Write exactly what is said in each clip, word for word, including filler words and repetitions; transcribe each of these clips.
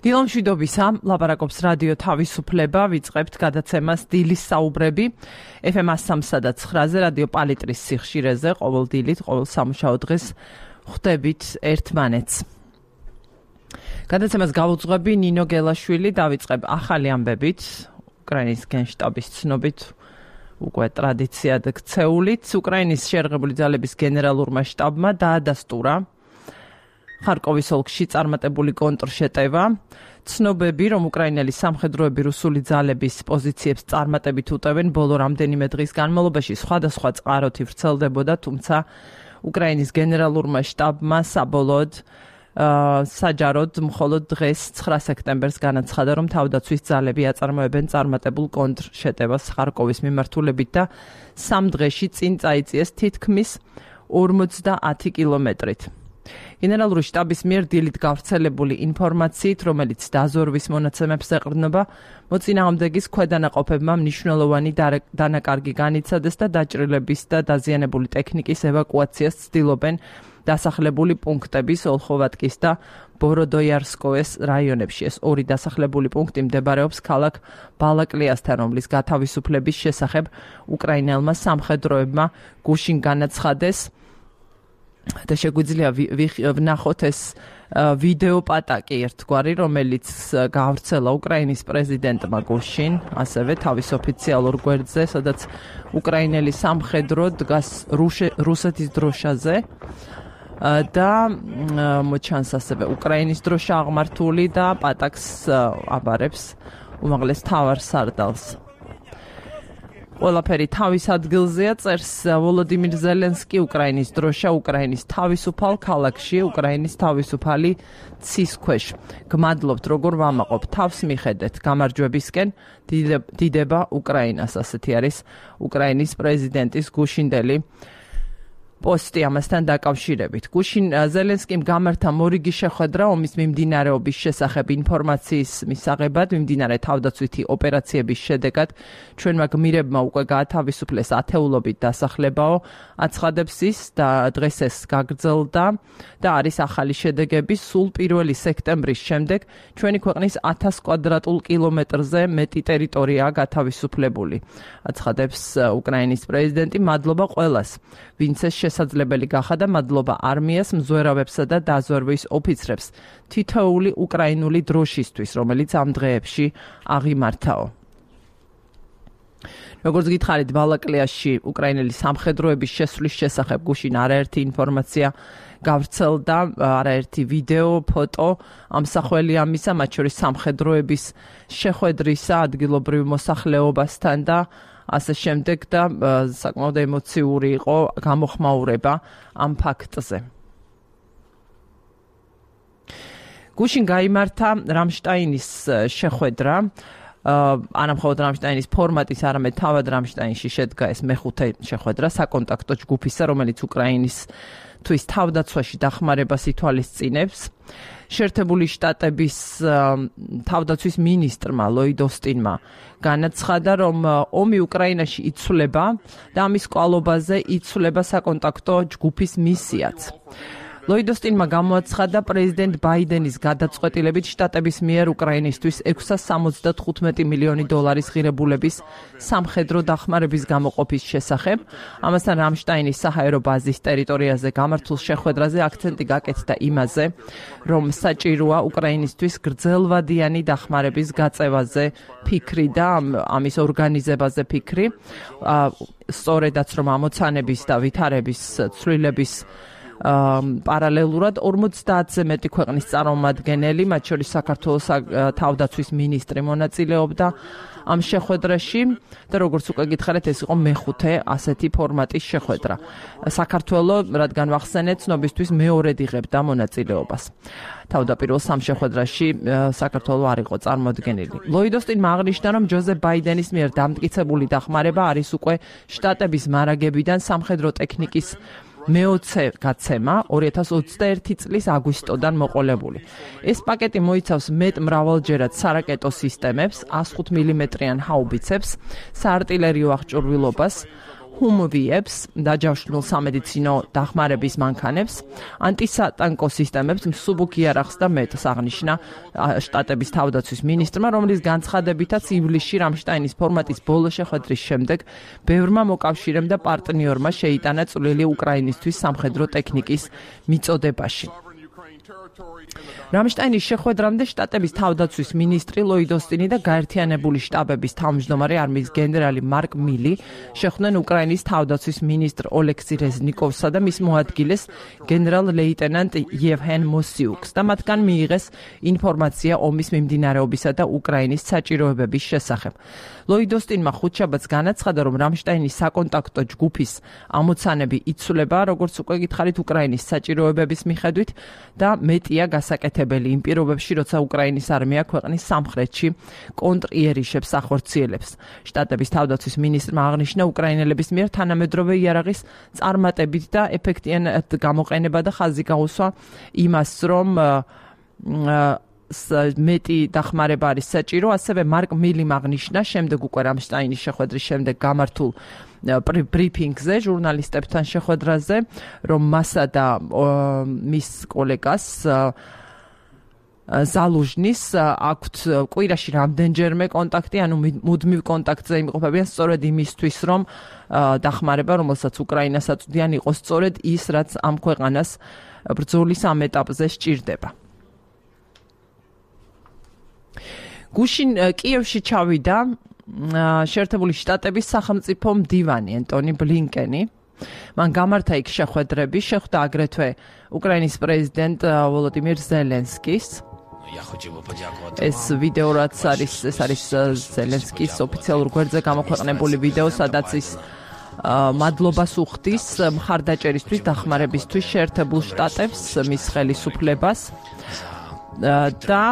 დილომშვიდობისა, ლაპარაკობს რადიო თავისუფლება, ვიწყებთ გადაცემას დილის საუბრები ეფ ემ სამსა და ცხრაზე რადიო პალიტრის სიხშირეზე, ყოველ დილით, ყოველ სამუშაო დღეს ხვდებით ერთმანეთს. გადაცემას გავუძღვები ნინო გელაშვილი, დავიწყებ ახალი ამბებით, უკრაინის გენშტაბის ცნობით, უკვე ტრადიციად ქცეულით, უკრაინის შეერღებული ძალების გენერალურმა შტაბმა დაადასტურა ხარკოვის ოლქში წარმატებული კონტრშეტევა. ცნობები, რომ უკრაინელი სამხედროები რუსული ძალების პოზიციებს წარმატებით უტევენ, ბოლო რამდენიმე დღის განმავლობაში სხვადასხვა წყაროთი ვრცელდებოდა, თუმცა უკრაინის გენერალურმა შტაბმა საბოლოოდ საჯაროდ მხოლოდ დღეს ცხრა სექტემბერს განაცხადა, რომ თავდაცვის ძალები აწარმოებენ წარმატებულ კონტრშეტევას ხარკოვის მიმართულებით და სამ დღეში წინ წაიწიეს თითქმის ორმოცდაათი კილომეტრით. გენერალური შტაბის მიერ დილით გავრცელებული ინფორმაციით, რომელიც დაზვერვის მონაცემებს ეყრდნობა, მოწინააღმდეგის ქვედანაყოფებმა მნიშვნელოვანი დანაკარგი განიცადეს და დაჭრილების და დაზიანებული ტექნიკის ევაკუაციას ცდილობენ დასახლებული პუნქტების ოლხოვატკის და ბოროდოიარსკოეს რაიონებში. ეს ორი დასახლებული პუნქტი მდებარეობს ქალაქ ბალაკლიასთან, რომლის გათავისუფლების შესახებ უკრაინელმა სამხედროებმა გუშინ განაცხადეს. და შეგვიძლია ვნახოთ ეს ვიდეო პატაკი ერთგვარი, რომელიც გავრცელა უკრაინის პრეზიდენტმა გუშინ, ასევე თავის ოფიციალურ გვერდზე, სადაც უკრაინელი სამხედრო დგას რუსეთის დროშაზე და მოჩანს ასევე უკრაინის დროშა აღმართული და პატაკს აბარებს უმაღლეს მთავარსარდალს. ყველაფერი თავის ადგილზეა, წერს ვოლოდიმირ ზელენსკი, უკრაინის დროშა უკრაინის თავისუფალ ქალაქში, უკრაინის თავისუფალი ცის ქვეშ. გმადლობთ, როგორ ვამაყობ, თავს მიხედეთ, გამარჯვებისკენ დიდება უკრაინას, ასეთი არის უკრაინის პრეზიდენტის გუშინდელი პოსტი ამასთან დაკავშირებით. გუშინ ზელენსკიმ გამართა მორიგი შეხვედრა ომის მიმდინარეობის შესახებ ინფორმაციის მისაღებად, მიმდინარე თავდაცვითი ოპერაციების შედეგად ჩვენმა გმირებმა უკვე გაათავისუფლეს ათეულობით დასახლებაო, აცხადებს ის და დღეს ეს გაგრძელდა და არის ახალი შედეგები. სულ პირველი სექტემბრის შემდეგ ჩვენი ქვეყნის ათას კვადრატულ კილომეტრზე მეტი ტერიტორიაა გათავისუფლებული. აცხადებს უკრაინის პრეზიდენტი, მადლობა ყველას, ვინც ეს შესაძლებელი გახადა, მადლობა არმიას, მზვერავებსა და დაზვერვის ოფიცრებს თითოეული უკრაინული დროშისთვის, რომელიც ამ დღეებში აღიმართაო. როგორც გითხარით, ბალაკლიაში უკრაინელი სამხედროების შესვლის შესახებ გუშინ არაერთი ინფორმაცია გავრცელდა, არაერთი ვიდეო, ფოტო, ამსახველი ამისა, მათ შორის სამხედროების შეხვედრისა ადგილობრივ მოსახლეობასთან და ასე შემდეგ და საკმაოდ ემოციური იყო გამოხმაურება ამ ფაქტზე. გუშინ გაიმართა რამშტაინის შეხვედრა, არა მხოლოდ რამშტაინის ფორმატის, არამედ თავად რამშტაინში შედგა ეს მეხუთე შეხვედრა საკონტაქტო ჯგუფისა, რომელიც უკრაინის თვის თავდაცვაში დახმარებას ითვალისწინებს. შეერთებული შტატების თავდაცვის მინისტრმა ლოიდ ოსტინმა განაცხადა, რომ ომი უკრაინაში იცვლება და ამის კვალობაზე იცვლება საკონტაქტო ჯგუფის მისიაც. ლოიდ ოსტინმა გამოაცხადა პრეზიდენტ ბაიდენის გადაწყვეტილებით შტატების მიერ უკრაინისთვის ექვსას სამოცდათხუთმეტი მილიონი დოლარის ღირებულების სამხედრო დახმარების გამოყოფის შესახებ. ამასთან რამშტაინის საჰაერო ბაზის ტერიტორიაზე გამართულ შეხვედრაზე აქცენტი გაკეთდა იმაზე, რომ საჭიროა უკრაინისთვის გრძელვადიანი დახმარების გაწევაზე ფიქრი და ამის ორგანიზებაზე ფიქრი. სწორედაც რომ ამოცანების და ვითარების ცვლილების პარალელურად ორმოცდაათზე მეტი ქვეყნის წარმომადგენელი, მათ შორის საქართველოს თავდაცვის მინისტრი მონაწილეობდა ამ შეხვედრაში და როგორც უკვე გითხარით, ეს იყო მეხუთე ასეთი ფორმატის შეხვედრა. საქართველო, რადგან ვახსენეთ, ცნობისთვის მეორედ იღებდა მონაწილეობას. თავდაპირველ სამ შეხვედრაში საქართველო არ იყო წარმოდგენილი. ლოიდ ოსტინმა აღნიშნა, რომ ჯოზეფ ბაიდენის მიერ დამტკიცებული დახმარება არის უკვე შტატების მარაგებიდან სამხედრო ტექნიკის მეოცე გაცემა ორი ათას ოცდაერთი წლის აგვისტოდან მოყოლებული. ეს პაკეტი მოიცავს მეტ მრავალჯერად სარაკეტო სისტემებს, ას ხუთ მილიმეტრიან ჰაუბიცებს, საარტილერიო აღჭურვილობას, ჰუმვიებს, დაჯავშნულ სამედიცინო დახმარების მანქანებს, ანტისატანკო სისტემებს, მსუბუქ იარაღს და მეტს აღნიშნა შტატების თავდაცვის მინისტრმა, რომლის განცხადებითაც ივლისში რამშტაინის ფორმატის ბოლო შეხვედრის შემდეგ ბევრმა მოკავშირემ და პარტნიორმა შეიტანა წვლილი უკრაინისთვის სამხედრო ტექნიკის მიწოდებაში. რამშტაინის შეხვედრამდე შტატების თავდაცვის მინისტრი ლოიდ ოსტინი და გაერთიანებული შტაბების თავმჯდომარე არმიის გენერალი მარკ მილი შეხვდნენ უკრაინის თავდაცვის მინისტრ ოლექსი რეზნიკოვსა და მის მოადგილეს გენერალ ლეიტენანტ იევგენ მოსიუკს და მათგან მიიღეს ინფორმაცია ომის მიმდინარეობისა და უკრაინის საჭიროებების შესახებ. ლოიდ ოსტინმა ხუთშაბათს განაცხადა, რომ რამშტაინის საკონტაქტო ჯგუფის ამოცანები იცვლება, როგორც უკვე გითხარით, უკრაინის საჭიროებების მიხედვით და მეტია გასაკეთებელი იმ პირობებში, როცა უკრაინის არმია ქვეყნის სამხრეთში კონტრიერიშებს ახორციელებს. შტატების თავდაცვის მინისტრმა აღნიშნა უკრაინელების მიერ თანამედროვე იარაღის წარმატებით და ეფექტიანად გამოყენება და ხაზი გაუსვა იმას, რომ მეტი დახმარება არის საჭირო. ასევე მარკ მილიმ აღნიშნა შემდეგ უკვე რამშტაინის შეხვედრის შემდეგ გამართულ ბრიფინგზე ჟურნალისტებთან შეხვედრაზე, რომ მასა და მის კოლეგას ზალუჟნის აქვთ კვირაში რამდენჯერმე კონტაქტი, ანუ მუდმივ კონტაქტზე იმყოფებიან სწორედ იმისთვის, რომ დახმარება, რომელსაც უკრაინას აწვდიან, იყოს სწორედ ის, რაც ამ ქვეყანას ბრძოლის ამ ეტაპზე სჭირდება. გუშინ კიევში ჩავიდა შეერთებული შტატების სახელმწიფო მდივანი ენტონი ბლინკენი. მან გამართა იქ შეხვედრები, შეხვდა აგრეთვე უკრაინის პრეზიდენტ ვოლოდიმირ ზელენსკის. ეს ვიდეო რაც არის, ეს არის ზელენსკის ოფიციალურ გვერდზე გამოქვეყნებული ვიდეო, სადაც ის მადლობას უხდის მხარდაჭერისთვის, დახმარებისთვის შეერთებულ შტატებს, მის ხელისუფლებას. და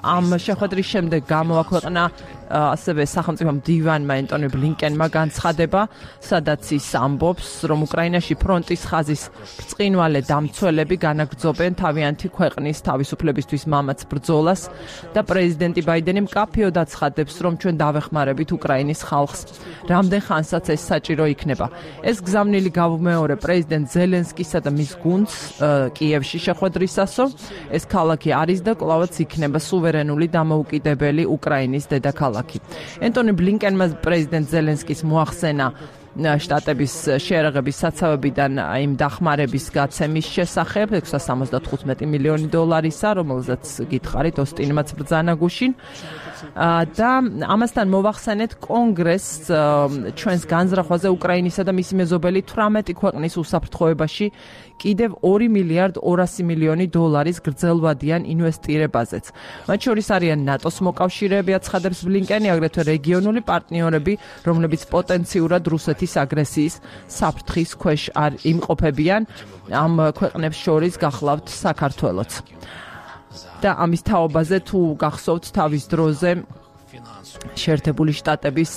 ამ შეხვედრის შემდეგ გამოაქვეყნა ასევე სახელმწიფო მდივანმა ენტონი ბლინკენმა განცხადება, სადაც ის ამბობს, რომ უკრაინაში ფრონტის ხაზის ბრწყინვალე დამცველები განაგრძობენ თავიანთი ქვეყნის თავისუფლებისთვის მამაც ბრძოლას და პრეზიდენტი ბაიდენი მკაფიოდ აცხადებს, რომ ჩვენ დავეხმარებით უკრაინის ხალხს, რამდენ ხანსაც ეს საჭირო იქნება. ეს გზავნილი გავუმეორე პრეზიდენტ ზელენსკისა და მის გუნდს კიევში შეხვედრისასო. ეს ქალაქი არის და კვლავაც იქნება სუვერენული დამოუკიდებელი უკრაინის დედაქალაქი. ენტონი ბლინკენმა პრეზიდენტ ზელენსკის მოახსენა შტატების შეერაღების საცავებიდან იმ დახმარების გაცემის შესახებ ექვსსა სამოცდათხუთმეტი მილიონი დოლარისა, რომელზეც გითხარით ოსტინმაც ბრძანა გუშინ. და ამასთან მოვახსენეთ კონგრესს ჩვენს განზრახვაზე უკრაინისა და მისი მეზობელი თვრამეტი ქვეყნის უსაფრთხოებაში კიდევ ორი მილიარდ ორასი მილიონი დოლარის გრძელვადიან ინვესტირებაზეც. მათ შორის არიან ნატოს მოკავშირეები, აცხადებს ბლინკენი, აგრეთვე რეგიონული პარტნიორები, რომლებიც პოტენციურად რუსეთის აგრესიის საფრთხის ქვეშ არ იმყოფებიან. ამ ქვეყნებს შორის გახლავთ საქართველოც. და ამის თაობაზე თუ გახსოვთ თავის დროზე შეერთებული შტატების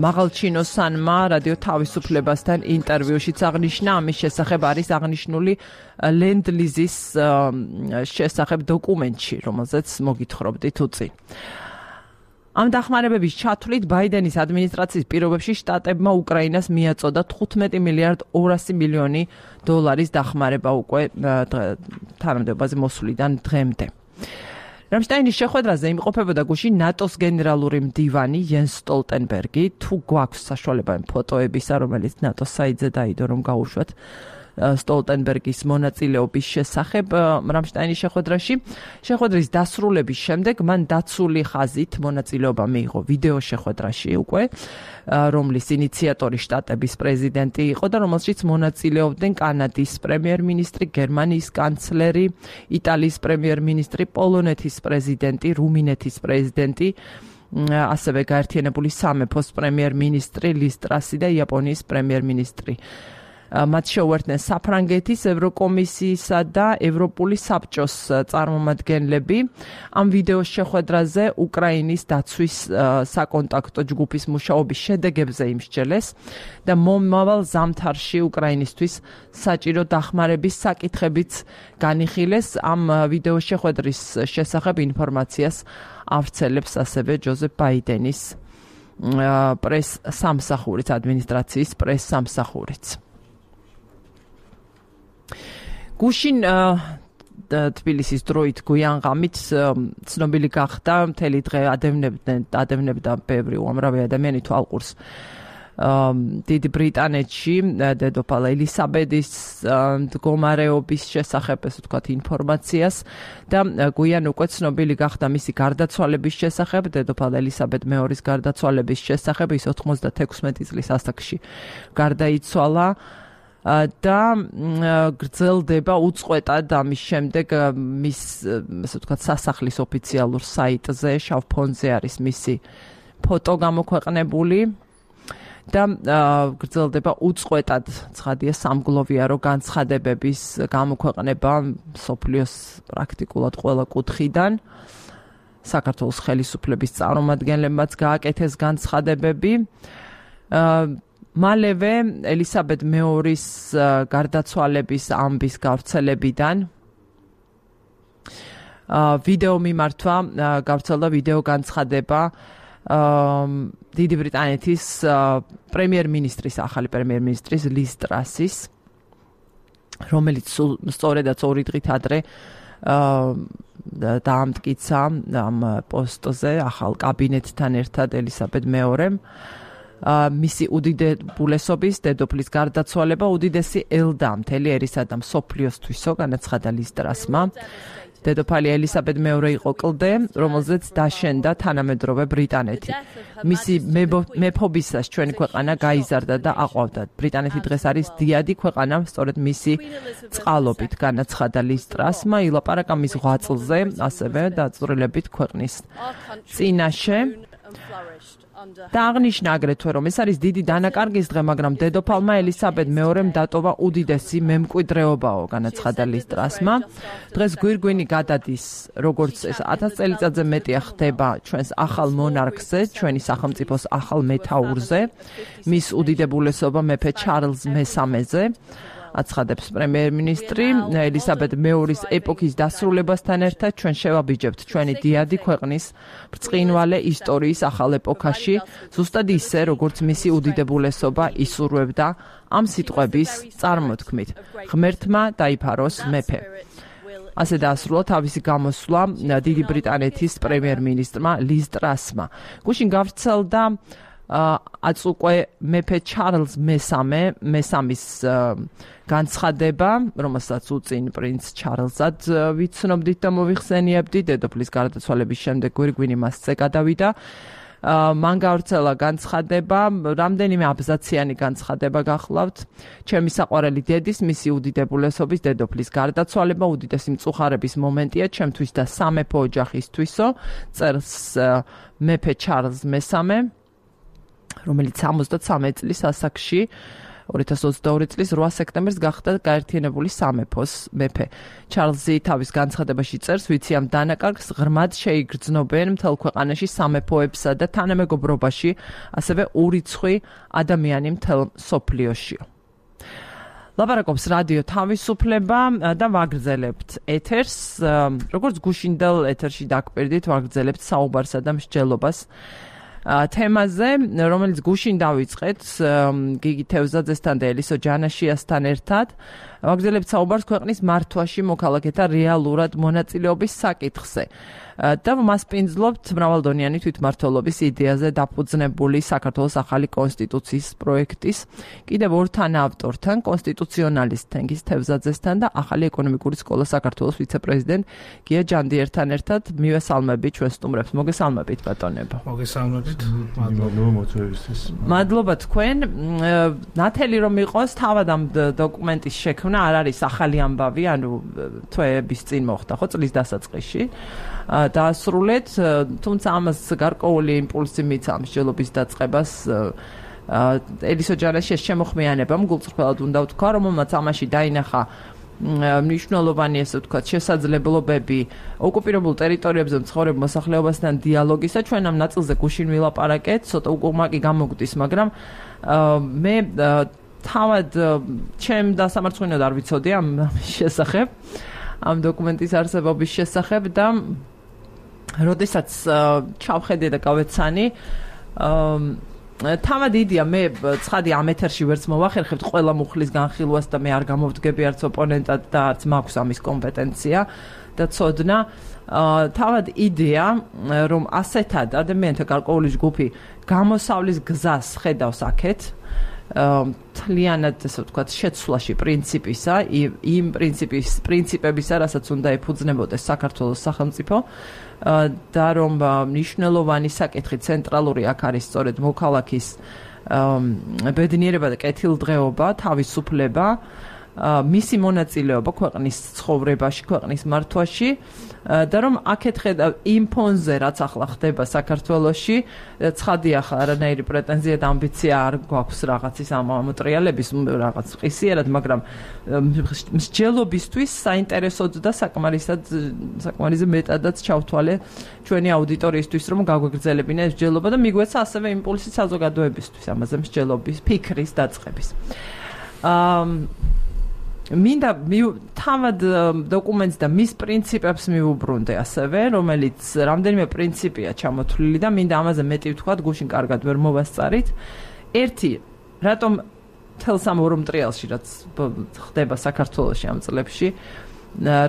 მაღალჩინოსანმა რადიო თავისუფლებასთან ინტერვიუშიც აღნიშნა, ამის შესახებ არის აღნიშნული ლენდ-ლიზის შესახებ დოკუმენტში, რომელზეც მოგითხრობდით უწინ. ამ დახმარებების ჩათვლით ბაიდენის ადმინისტრაციის პირობებში შტატებმა უკრაინას მიაწოდა თხუთმეტი მილიარდ ორასი მილიონი დოლარის დახმარება უკვე თანამდებობაზე მოსვლიდან დღემდე. რამშტაინის შეხვედრაზე იმყოფებოდა გუშინ ნატოს გენერალური მდივანი იენს სტოლტენბერგი. თუ გვაქვს საშუალება იმ ფოტოებისა, რომელიც ნატოს საიტზე დაიდო, რომ გაუშვათ სტოლტენბერგის მონაწილეობის შესახებ რამშტაინის შეხვედრაში. შეხვედრის დასრულების შემდეგ მან დაცული ხაზით მონაწილეობა მიიღო ვიდეო შეხვედრაში უკვე, რომლის ინიციატორი შტატების პრეზიდენტი იყო და რომელშიც მონაწილეობდნენ კანადის პრემიერ-მინისტრი, გერმანიის კანცლერი, იტალიის პრემიერ-მინისტრი, პოლონეთის პრეზიდენტი, რუმინეთის პრეზიდენტი, ასევე გაერთიანებული სამეფოს პრემიერ-მინისტრი ლის ტრასი და იაპონიის პრემიერ-მინისტრი. მათ შეუერთდნენ საფრანგეთის ევროკომისიისა და ევროპული საბჭოს წარმომადგენლები. ამ ვიდეოს შეხვედრაზე უკრაინის დაცვის საკონტაქტო ჯგუფის მუშაობის შედეგებზე იმსჯელეს და მომავალ ზამთარში უკრაინისთვის საჭირო დახმარების საკითხებიც განიხილეს. ამ ვიდეოს შეხვედრის შესახებ ინფორმაციას ავრცელებს ასევე ჯოზეფ ბაიდენის პრეს სამსახურიც, ადმინისტრაციის პრეს სამსახურიც. გუშინ თბილისის დროით გვიანღამით ცნობილი გახდა, მთელი დღე ადევნებდნენ, ადევნებდა ბევრი უამრავი ადამიანი თვალყურს დიდი ბრიტანეთში დედოფალ ელისაბედის მდგომარეობის შესახებ, ესე ვთქვათ, ინფორმაციას და გვიან უკვე ცნობილი გახდა მისი გარდაცვალების შესახებ, დედოფალ ელისაბედ მეორის გარდაცვალების შესახებ, ის ოცდაექვსმეტი წლის ასაკში გარდაიცვალა და გრძელდება უწყვეტად ამის შემდეგ მის, ესე ვთქვათ, სასახლის ოფიციალურ საიტზე შავ ფონზე არის მისი ფოტო გამოქვეყნებული. და გრძელდება უწყვეტად ცხადია სამგლოვიარო განცხადებების გამოქვეყნება მსოფლიოს პრაქტიკულად ყველა კუთხიდან. საქართველოს ხელისუფლების წარმომადგენლებმაც გააკეთეს განცხადებები. მალევე ელისაბედ მეორის გარდაცვალების ამბის გავრცელებიდან ვიდეო მიმართვა გავრცელდა ვიდეო განცხადება დიდი ბრიტანეთის პრემიერ-მინისტრის, ახალი პრემიერ-მინისტრის ლის ტრასის, რომელიც სწორედაც ორი დღით ადრე დაამტკიცა ამ პოსტზე ახალ კაბინეტთან ერთად ელისაბედ მეორემ. მისი უდიდებულესობის დედოფლის გარდაცვალება უდიდესი ელდა მთელი ერისა და მსოფლიოსთვისო, განაცხადა ლის ტრასმა. დედოფალი ელისაბედ მეორე იყო კლდე, რომელზეც დაშენდა თანამედროვე ბრიტანეთი. მისი მეფობისას ჩვენი ქვეყანა გაიზარდა და აყვავდა. ბრიტანეთი დღეს არის დიადი ქვეყანა, სწორედ მისი წყალობით, განაცხადა ლის ტრასმა, ილაპარაკა მის ღვაწლზე, ასევე დაწვრილებით ქვეყნის წინაშე. და აღნიშნა აგრეთვე, რომ ეს არის დიდი დანაკარგის დღე, მაგრამ დედოფალმა ელისაბედ მეორემ დატოვა უდიდესი მემკვიდრეობაო, განაცხადა ლის ტრასმა. დღეს გვირგვინი გადადის, როგორც ეს ათას წელიწადზე მეტია ხდება ჩვენს ახალ მონარქზე, ჩვენი სახელმწიფოს ახალ მეთაურზე, მის უდიდებულესობა მეფე ჩარლზ მესამეზე. აცხადებს პრემიერ-მინისტრი. ელისაბედ მეორის ეპოქის დასრულებასთან ერთად ჩვენ შევაბიჯებთ ჩვენი დიადი ქვეყნის ბრწყინვალე ისტორიის ახალ ეპოქაში, ზუსტად ისე, როგორც მისი უდიდებულესობა ისურვებდა ამ სიტყვების წარმოთქმით. ღმერთმა დაიფაროს მეფე. ასე დაასრულა თავისი გამოსვლა დიდი ბრიტანეთის პრემიერ-მინისტრმა ლის ტრასმა. გუშინ გავრცელდა აც უკვე მეფე ჩარლზ მესამე, მესამის განცხადება, რომელსაც უწინ პრინც ჩარლზად ვიცნობდით და მოვიხსენიებდით, დედოფლის გარდაცვალების შემდეგ გვირგვინი მასზე გადავიდა. მან გავრცელა განცხადება, რამდენიმე აბზაციანი განცხადება გახლავთ. ჩემი საყვარელი დედის, მისი უდიდებულესობის დედოფლის გარდაცვალება უდიდესი მწუხარების მომენტია ჩემთვის და სამეფო ოჯახისთვისო, წერს მეფე ჩარლზ მესამე, რომელიც სამოცდათრამეტ წლის ასაკში ორი ათას ოცდაორი წლის რვა სექტემბერს გახდა გაერთიანებული სამეფოს მეფე. ჩარლზი თავის განცხადებაში წერს, ვიცი ამ დანაკარგს ღრმად შეიგრძნობენ მთელ ქვეყანაში სამეფოებსა და თანამეგობრობაში, ასევე ურიცხვი ადამიანი მთელ მსოფლიოში. ლაპარაკობს რადიო თავისუფლება და ვაგრძელებთ ეთერს, როგორც გუშინდელ ეთერში დაგკვირდით, ვაგრძელებთ საუბარსა და მსჯელობას თემაზე, რომელიც გუშინ დავიწყეთ გიგი თევზაძესთან და ელისო ჯანაშიასთან ერთად. ვაგრძელებთ საუბარს ქვეყნის მართვაში მოქალაქეთა რეალურად მონაწილეობის საკითხზე. და მასპინძლობთ მრავალდონიანი თვითმმართველობის იდეაზე დაფუძნებული საქართველოს ახალი კონსტიტუციის პროექტის კიდევ ორ თანაავტორთან, კონსტიტუციონალისტ თენგიზ თევზაძესთან და ახალი ეკონომიკური სკოლა საქართველოს ვიცე-პრეზიდენტ გია ჯანდიერთან ერთად. მივესალმები ჩვენ სტუმრებს. მოგესალმებით ბატონებო. მოგესალმებით. მადლობა მოწვევისთვის. მადლობა თქვენ. ნათელი რომ იყოს თავად ამ დოკუმენტის შექმნა არ არის ახალი ამბავი, ანუ თვეების წინ მოხდა ხო წლის დასაწყისში. დაასრულეთ, თუმცა ამას გარკვეული იმპულსი მიცა მსჯელობის დაწყებას ელისო ჯანაშიას შემოხმიანებამ, გულწრფელად უნდა ვთქვა, რომელმაც ამაში დაინახა მნიშვნელოვანი, ესე ვთქვათ, შესაძლებლობები ოკუპირებულ ტერიტორიებზე მცხოვრებ მოსახლეობასთან დიალოგისა. ჩვენ ამ ნაწილზე გუშინ ვილაპარაკეთ, ცოტა უკუღმაკი გამოგვდის, მაგრამ მე თავად ჩემ დასამარცხინოდ არ ვიცოდი ამ შესახებ, ამ დოკუმენტის არსებობის შესახებ და როდესაც ჩავხედე და გავეცანი, თავად იდეა მე ცხადი ამ ეთერში ვერც მოვახერხებთ ყველა მუხლის განხილვას და მე არ გამოვდგები არც ოპონენტად და არც მაქვს ამის კომპეტენცია და ცოდნა თავად იდეა რომ ასეთად ადამიანთა გარკვეული ჯგუფი გამოსავლის გზას ხედავს აქეთ თლიანად ესე ვთქვათ შეცვლაში პრინციპისა იმ პრინციპის პრინციპებისა რასაც უნდა ეფუძნებოდეს საქართველოს სახელმწიფო და რომ მნიშვნელოვანი საკითხი ცენტრალური აქ არის სწორედ მოქალაქის ბედნიერება და კეთილდღეობა, თავისუფლება, მისი მონაწილეობა ქვეყნის ცხოვრებაში, ქვეყნის მართვაში და რომ აქეთ ხედავ იმ ფონზე რაც ახლა ხდება საქართველოში, ცხადია ახლა არანაირი პრეტენზია და ამბიცია არ გვაქვს რაღაცის ამ მოტრიალების რაღაც ყისიერად, მაგრამ მსჯელობისთვის საინტერესოდ და საკმარისად საკმარისზე მეტადაც ჩავთვალე ჩვენი აუდიტორიისთვის, რომ გაგვეგრძელებინა ეს მსჯელობა და მიგვეცა ასევე იმპულსი საზოგადოებისთვის ამაზე მსჯელობის ფიქრის დაწყების. აა მინდა თავად დოკუმენტს და მის პრინციპებს მივუბრუნდე ასევე, რომელიც რამდენიმე პრინციპია ჩამოთვლილი და მინდა ამაზე მეტი ვთქვათ, გუშინ კარგად ვერ მოვასწარით. ერთი, რატომ თელს ამ ორ მტრიალში, რაც ხდება საქართველოში ამ წლებში,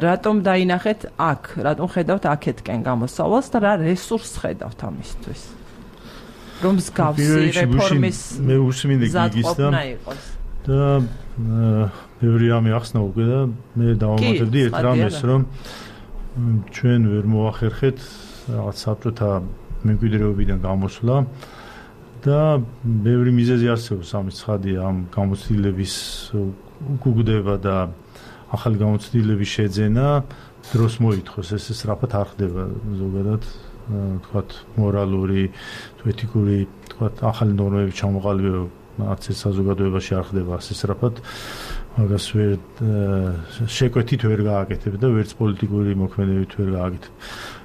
რატომ დაინახეთ აქ, რატომ ხედავთ აქეთკენ გამოსავალს და რა რესურსს ხედავთ ამისთვის? რომ მსგავსი რეფორმის მე უსმინე გიგის და ბევრი რამე ახსნა უკვე და მე დავამატებდი ერთ რამეს, რომ ჩვენ ვერ მოახერხეთ რაღაც საბჭოთა მემკვიდრეობიდან გამოსვლა და ბევრი მიზეზი არსებობს ამის ცხადია ამ გამოცდილების უკუგდება და ახალი გამოცდილების შეძენა დროს მოითხოვს, ეს სწრაფად არ ხდება ზოგადად თქვათ მორალური, ეთიკური, თქვათ ახალი ნორმების ჩამოყალიბება არც ეს საზოგადოებაში არ ხდება ასე სწრაფად. მაგას ვერ შეკვეთით ვერ გააკეთებ და ვერც პოლიტიკური მოქმედებით ვერ გააკეთებ.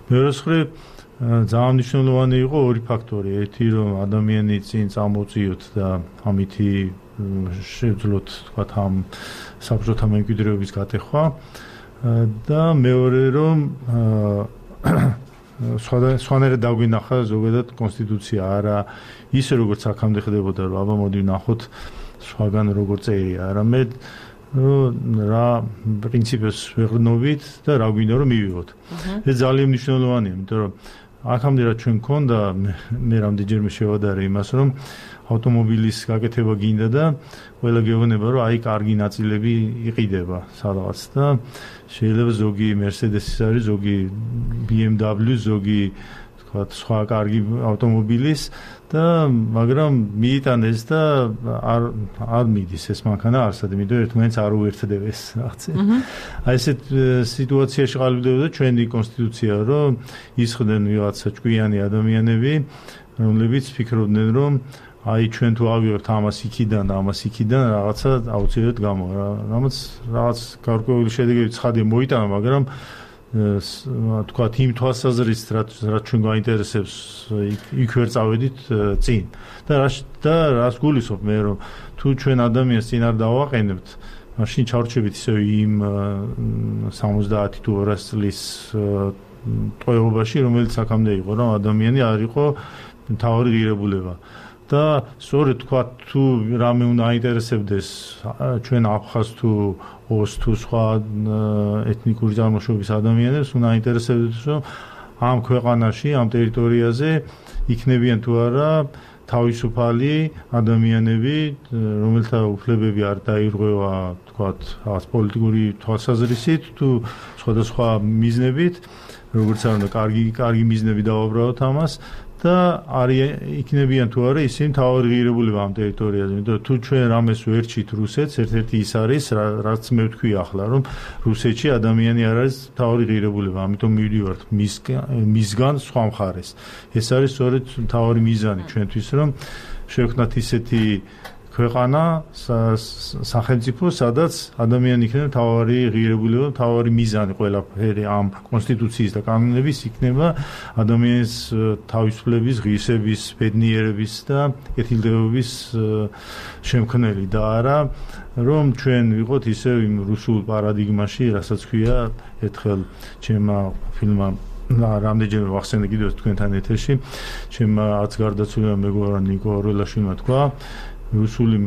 მეორე მხრივ ძალიან მნიშვნელოვანი იყო ორი ფაქტორი. ერთი რომ ადამიანი წინ წამოწიოთ და ამითი შევძლოთ თქვათ ამ საბჭოთა მემკვიდრეობის გატეხვა და მეორე რომ სხვანაირად დაგვინახა ზოგადად კონსტიტუცია არა ისე როგორც აქამდე ხდებოდა რომ აბა მოდი ვნახოთ სხვაგან როგორ წერია არამედ რა პრინციპებს ვეღრნობით და რა გვინდა რომ მივიღოთ. ეს ძალიან მნიშვნელოვანია, იმიტომ რომ აქამდე რა ჩვენ გქონდა მე რამდენჯერმე შევადარე იმას რომ ავტომობილის გაკეთება გინდა და ყველა გეუბნება რომ აი კარგი ნაწილები იყიდება სადღაც და შეიძლება ზოგი Mercedes-ის არის, ზოგი B M W, ზოგი თქვათ სხვა კარგი ავტომობილის და მაგრამ მიიტანეს და არ არ მიდის ეს მანქანა არსად, იმიტომ ერთმანეთს არ უერთდებეს რაღაცა. აი ესეთ სიტუაციაში ყალიბდებოდა ჩვენი კონსტიტუცია, რომ ისხდნენ ვიღაცა ჭკვიანი ადამიანები, რომლებიც ფიქრობდნენ, რომ აი ჩვენ თუ ავიღებთ ამას იქიდან და ამას იქიდან რაღაცა აუცილებლად გამო რამაც რაღაც გარკვეული შედეგები ცხადია მოიტანა, მაგრამ თქვათ იმ თვალსაზრისით რაც რაც ჩვენ გაინტერესებს იქ ვერ წავედით წინ და და რას გულისხმობ მე რომ თუ ჩვენ ადამიანს წინ არ დავაყენებთ მაშინ ჩავრჩებით ისე იმ სამოცდაათი თუ ორასი წლის ტყვეობაში რომელიც აქამდე იყო რომ ადამიანი არ იყო მთავარი ღირებულება და სწორედ თქვა თუ რამე უნდა აინტერესებდეს ჩვენ აფხაზს თუ ოს თუ სხვა ეთნიკური წარმოშობის ადამიანებს უნდა აინტერესებდეს რომ ამ ქვეყანაში ამ ტერიტორიაზე იქნებიან თუ არა თავისუფალი ადამიანები რომელთა უფლებები არ დაირღვევა თქვათ რაღაც პოლიტიკური თვალსაზრისით თუ სხვადასხვა მიზნებით როგორც არ უნდა კარგი კარგი მიზნები დავაბრალოთ ამას და არის იქნებიან თუ არა ისინი მთავარი ღირებულება ამ ტერიტორიაზე. იმიტომ თუ ჩვენ რამეს ვერჩით რუსეთს, ერთ-ერთი ის არის, რაც მე ვთქვი ახლა, რომ რუსეთში ადამიანი არ არის მთავარი ღირებულება, ამიტომ მივდივართ მისგან სხვა მხარეს. ეს არის სწორედ მთავარი მიზანი ჩვენთვის, რომ შევქნათ ისეთი ქვეყანა, სახელმწიფო, სადაც ადამიანი იქნება მთავარი ღირებულება, მთავარი მიზანი ყველაფერი ამ კონსტიტუციის და კანონების იქნება ადამიანის თავისუფლების, ღირსების, ბედნიერების და კეთილდღეობის შემქმნელი და არა რომ ჩვენ ვიყოთ ისევ იმ რუსულ პარადიგმაში, რასაც ქვია ერთხელ ჩემმა ფილმმა და რამდენჯერმე ვახსენე კიდევ თქვენთან ეთერში, ჩემ არც გარდაცვლილმა მეგობარმა ნიკო ორველაშვილმა თქვა, რუსული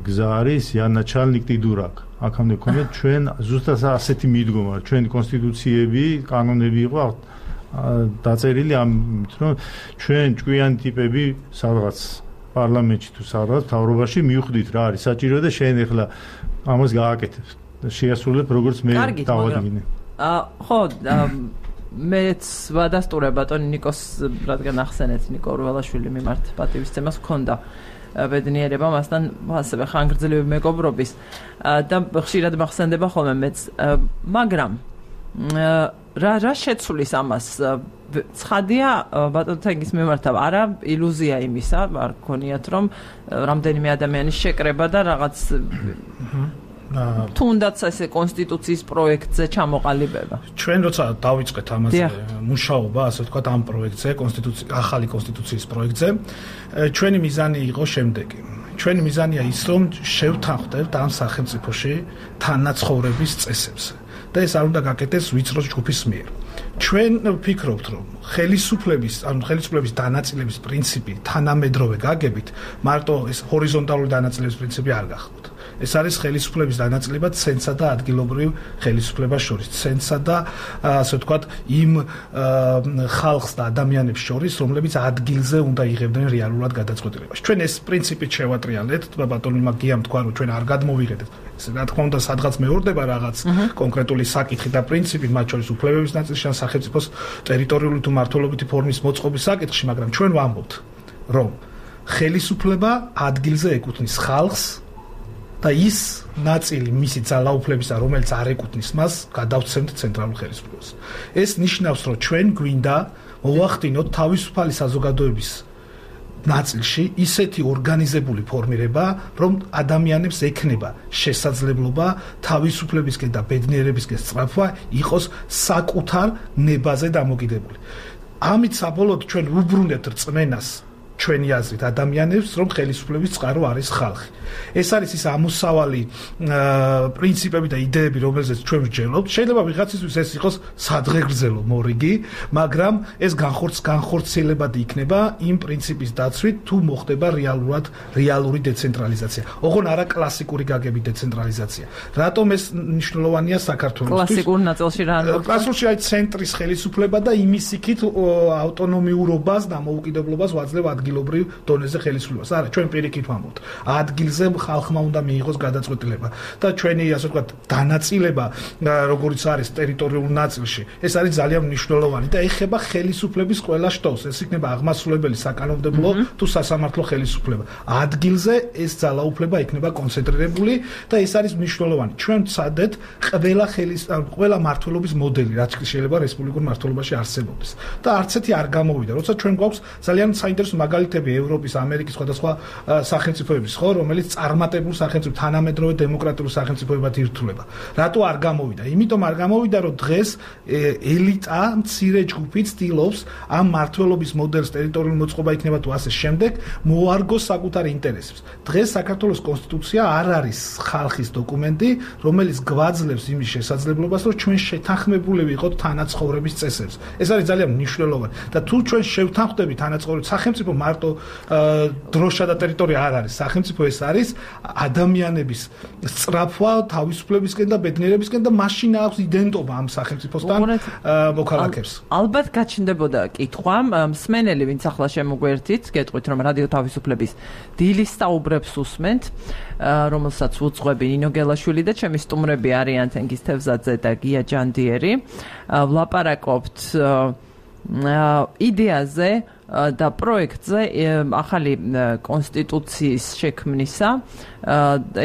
გზა არის იანაჩალნიკი დურაკ. აქამდე ქონდა ჩვენ ზუსტად ასეთი მიდგომა, ჩვენი კონსტიტუციები, კანონები იყო დაწერილი ამით, რომ ჩვენ ჭკვიანი ტიპები სადღაც პარლამენტში თუ სადღაც მთავრობაში მივხვდით რა არის საჭირო და შენ ახლა ამას გააკეთებ. შეასრულებ როგორც მე დავადგინე. აა ხო, მეც ვადასტურებ ბატონი ნიკოს, რადგან ახსენეთ ნიკო ორველაშვილი მიმართ პატივისცემას ჰქონდა ბედნიერება მასთან ასევე ხანგრძლივი მეგობრობის და ხშირად მახსენდება ხოლმე მეც, მაგრამ რა რა შეცვლის ამას ცხადია ბატონ თენგის მიმართ არა ილუზია იმისა არ გქონიათ რომ რამდენიმე ადამიანის შეკრება და რაღაც თუნდაც ესე კონსტიტუციის პროექტზე ჩამოყალიბება. ჩვენ როცა დავიწყეთ ამაზე მუშაობა, ასე ვთქვათ, ამ პროექტზე, კონსტიტუციის ახალი კონსტიტუციის პროექტზე, ჩვენი მიზანი იყო შემდეგი. ჩვენი მიზანია ის, რომ შევთანხმდეთ ამ სახელმწიფოში თანაცხოვრების წესებს. და ეს არ უნდა გაკეთდეს ვიწრო ჯგუფის მიერ. ჩვენ ვფიქრობთ, რომ ხელისუფლების, ანუ ხელისუფლების დანაწილების პრინციპი თანამედროვე გაგებით, მარტო ეს ჰორიზონტალური დანაწილების პრინციპი არ გახდოთ. ეს არის ხელისუფლების დანაწილება ცენტრსა და ადგილობრივ ხელისუფლებას შორის, ცენტრსა და ასე ვთქვათ, იმ ხალხს და ადამიანებს შორის, რომლებიც ადგილზე უნდა იღებდნენ რეალურად გადაწყვეტილებას. ჩვენ ეს პრინციპით შევატრიალეთ, ბატონმა გიამ თქვა, რომ ჩვენ არ გადმოვიღეთ. ეს რა თქმა უნდა, სადღაც მეორდება რაღაც კონკრეტული საკითხი და პრინციპი, მათ შორის უფლებების ნაწილში ან სახელმწიფოს ტერიტორიული თუ მართლობითი ფორმის მოწყობის საკითხში, მაგრამ ჩვენ ვამბობთ, რომ ხელისუფლება ადგილზე ეკუთვნის ხალხს და ის ნაწილი მისი ძალაუფლებისა, რომელიც არ ეკუთვნის მას, გადავცემთ ცენტრალურ ხელისუფლებას. ეს ნიშნავს, რომ ჩვენ გვინდა მოვახდინოთ თავისუფალი საზოგადოების ნაწილში ისეთი ორგანიზებული ფორმირება, რომ ადამიანებს ექნება შესაძლებლობა თავისუფლებისკენ და ბედნიერებისკენ სწრაფვა იყოს საკუთარ ნებაზე დამოკიდებული. ამით საბოლოოდ ჩვენ ვუბრუნებთ რწმენას ჩვენი აზრით ადამიანებს, რომ ხელისუფლების წყარო არის ხალხი. ეს არის ის ამოსავალი პრინციპები და იდეები, რომელზეც ჩვენ ვსჯელობთ. შეიძლება ვიღაცისთვის ეს იყოს სადღეგრძელო მორიგი, მაგრამ ეს განხორც განხორციელებადი იქნება იმ პრინციპის დაცვით, თუ მოხდება რეალურად რეალური დეცენტრალიზაცია. ოღონ არა კლასიკური გაგების დეცენტრალიზაცია. რატომ ეს მნიშვნელოვანია საქართველოსთვის? კლასიკურ ნაწილში რა არის? კლასიკურში აი ცენტრის ხელისუფლება და იმის იქით ავტონომიურობას და მოუკიდებლობას ვაძლევ ადგილობრივ დონეზე ხელისუფლებას. არა, ჩვენ პირიქით ვამბობთ. ადგილზე ხალხმა უნდა მიიღოს გადაწყვეტილება და ჩვენი ასე ვთქვათ დანაწილება როგორც არის ტერიტორიულ ნაწილში ეს არის ძალიან მნიშვნელოვანი და ეხება ხელისუფლების ყველა შტოს. ეს იქნება აღმასრულებელი საკანონმდებლო თუ სასამართლო ხელისუფლება. ადგილზე ეს ძალაუფლება იქნება კონცენტრირებული და ეს არის მნიშვნელოვანი. ჩვენ ვცადეთ ყველა ხელის ყველა მართლობის მოდელი, რაც შეიძლება რესპუბლიკურ მართლობაში არსებობდეს და არც ერთი არ გამოვიდა. როცა ჩვენ გვაქვს ძალიან საინტერესო მაგალითები ევროპის, ამერიკის სხვადასხვა სახელმწიფოების, ხო, რომელიც წარმატებულ სახელმწიფო თანამედროვე დემოკრატიულ სახელმწიფოებად ირთულება. რატო არ გამოვიდა? იმიტომ არ გამოვიდა, რომ დღეს ელიტა მცირე ჯგუფი ცდილობს ამ მართლობის მოდელს ტერიტორიული მოწყობა იქნება თუ ასე შემდეგ მოარგოს საკუთარ ინტერესებს. დღეს საქართველოს კონსტიტუცია არ არის ხალხის დოკუმენტი, რომელიც გვაძლევს იმის შესაძლებლობას, რომ ჩვენ შეთანხმებული ვიყოთ თანაცხოვრების წესებს. ეს არის ძალიან მნიშვნელოვანი და თუ ჩვენ შევთანხმდებით თანაცხოვრების სახელმწიფო მარტო დროშა და ტერიტორია არ არის სახელმწიფო, ეს არის ადამიანების სწრაფვა თავისუფლებისკენ და ბედნიერებისკენ და მაშინ აქვს იდენტობა ამ სახელმწიფოსთან მოქალაქეს. ალბათ გაჩნდებოდა კითხვა, მსმენელი ვინც ახლა შემოგვერთით, გეტყვით რომ რადიო თავისუფლების დილის საუბრებს უსმენთ, რომელსაც უძღვები ნინო გელაშვილი და ჩემი სტუმრები არიან თენგიზ თევზაძე და გია ჯანდიერი. ვლაპარაკობთ იდეაზე და პროექტზე ახალი კონსტიტუციის შექმნისა.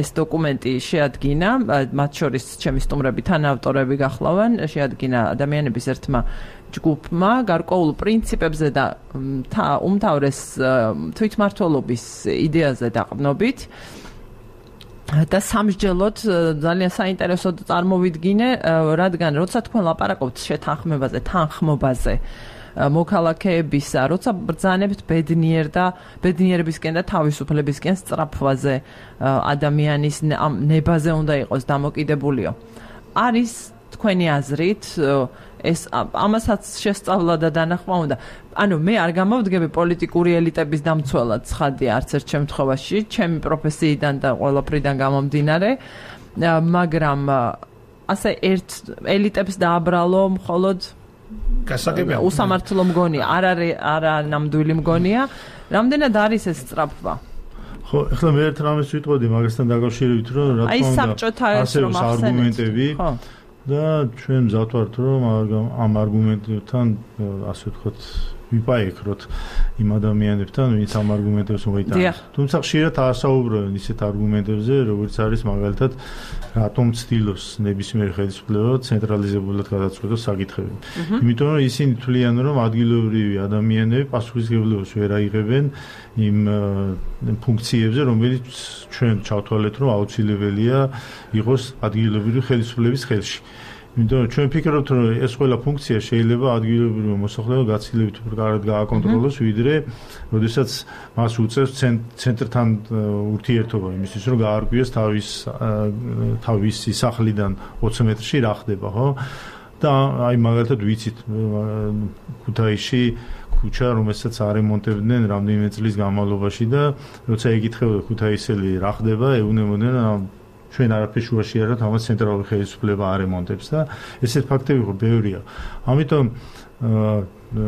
ეს დოკუმენტი შეადგინა, მათ შორის ჩემი სტუმრები თანაავტორები გახლავენ, შეადგინა ადამიანების ერთმა ჯგუფმა გარკვეულ პრინციპებზე და უმთავრეს თვითმმართველობის იდეაზე დაყრდნობით. და სამსჯელოდ ძალიან საინტერესოდ წარმოვიდგინე, რადგან როცა თქვენ ლაპარაკობთ შეთანხმებაზე, თანხმობაზე, მოქალაქეებისა, როცა ბრძანებთ ბედნიერ და ბედნიერებისკენ და თავისუფლებისკენ სწრაფვაზე, ადამიანის ნებაზე უნდა იყოს დამოკიდებულიო. არის თქვენი აზრით ეს ამასაც შესწავლა და დანახვა უნდა. ანუ მე არ გამოვდგები პოლიტიკური ელიტების დამცველად ცხადია არც ერთ შემთხვევაში, ჩემი პროფესიიდან და ყველაფრიდან გამომდინარე, მაგრამ ასე ერთ ელიტებს დააბრალო მხოლოდ გასაგებია უსამართლო მგონია, არ არის არა ნამდვილი მგონია. რამდენად არის ეს სწრაფვა? ხო, ახლა მე ერთ რამეს ვიტყოდი მაგასთან დაკავშირებით, რომ რა თქმა უნდა, აი საბჭოთა ეს რომ არგუმენტები და ჩვენ მზად ვართ, რომ ამ არგუმენტებთან, ასე ვთქვათ, ვიპაიქროთ იმ ადამიანებთან, ვინც ამ არგუმენტებს მოიტანს. თუმცა ხშირად ასაუბრებენ ისეთ არგუმენტებზე, როგორც არის მაგალითად, რატომ ცდილობს ნებისმიერი ხელისუფლება ცენტრალიზებულად გადაწყვეტოს საკითხები. იმიტომ რომ ისინი თვლიან, რომ ადგილობრივი ადამიანები პასუხისმგებლობას ვერ აიღებენ იმ ფუნქციებზე, რომელიც ჩვენ ჩავთვალეთ, რომ აუცილებელია იყოს ადგილობრივი ხელისუფლების ხელში. იმიტომ რომ ჩვენ ფიქრობთ, რომ ეს ყველა ფუნქცია შეიძლება ადგილობრივი მოსახლეობა გაცილებით უფრო კარგად გააკონტროლოს, ვიდრე როდესაც მას უწევს ცენტრთან ურთიერთობა იმისთვის, რომ გაარკვიოს თავის თავისი სახლიდან ოცი მეტრში რა ხდება, ხო? და აი მაგალითად ვიცით ქუთაისში ქუჩა, რომელსაც არემონტებდნენ რამდენიმე წლის განმავლობაში და როცა ეკითხებოდა ქუთაისელი რა ხდება, ეუბნებოდნენ ჩვენ არაფერს შუაში არ აქვს, ამას ცენტრალური ხელისუფლება არემონტებს და ესეთ ფაქტები ხო ბევრია. ამიტომ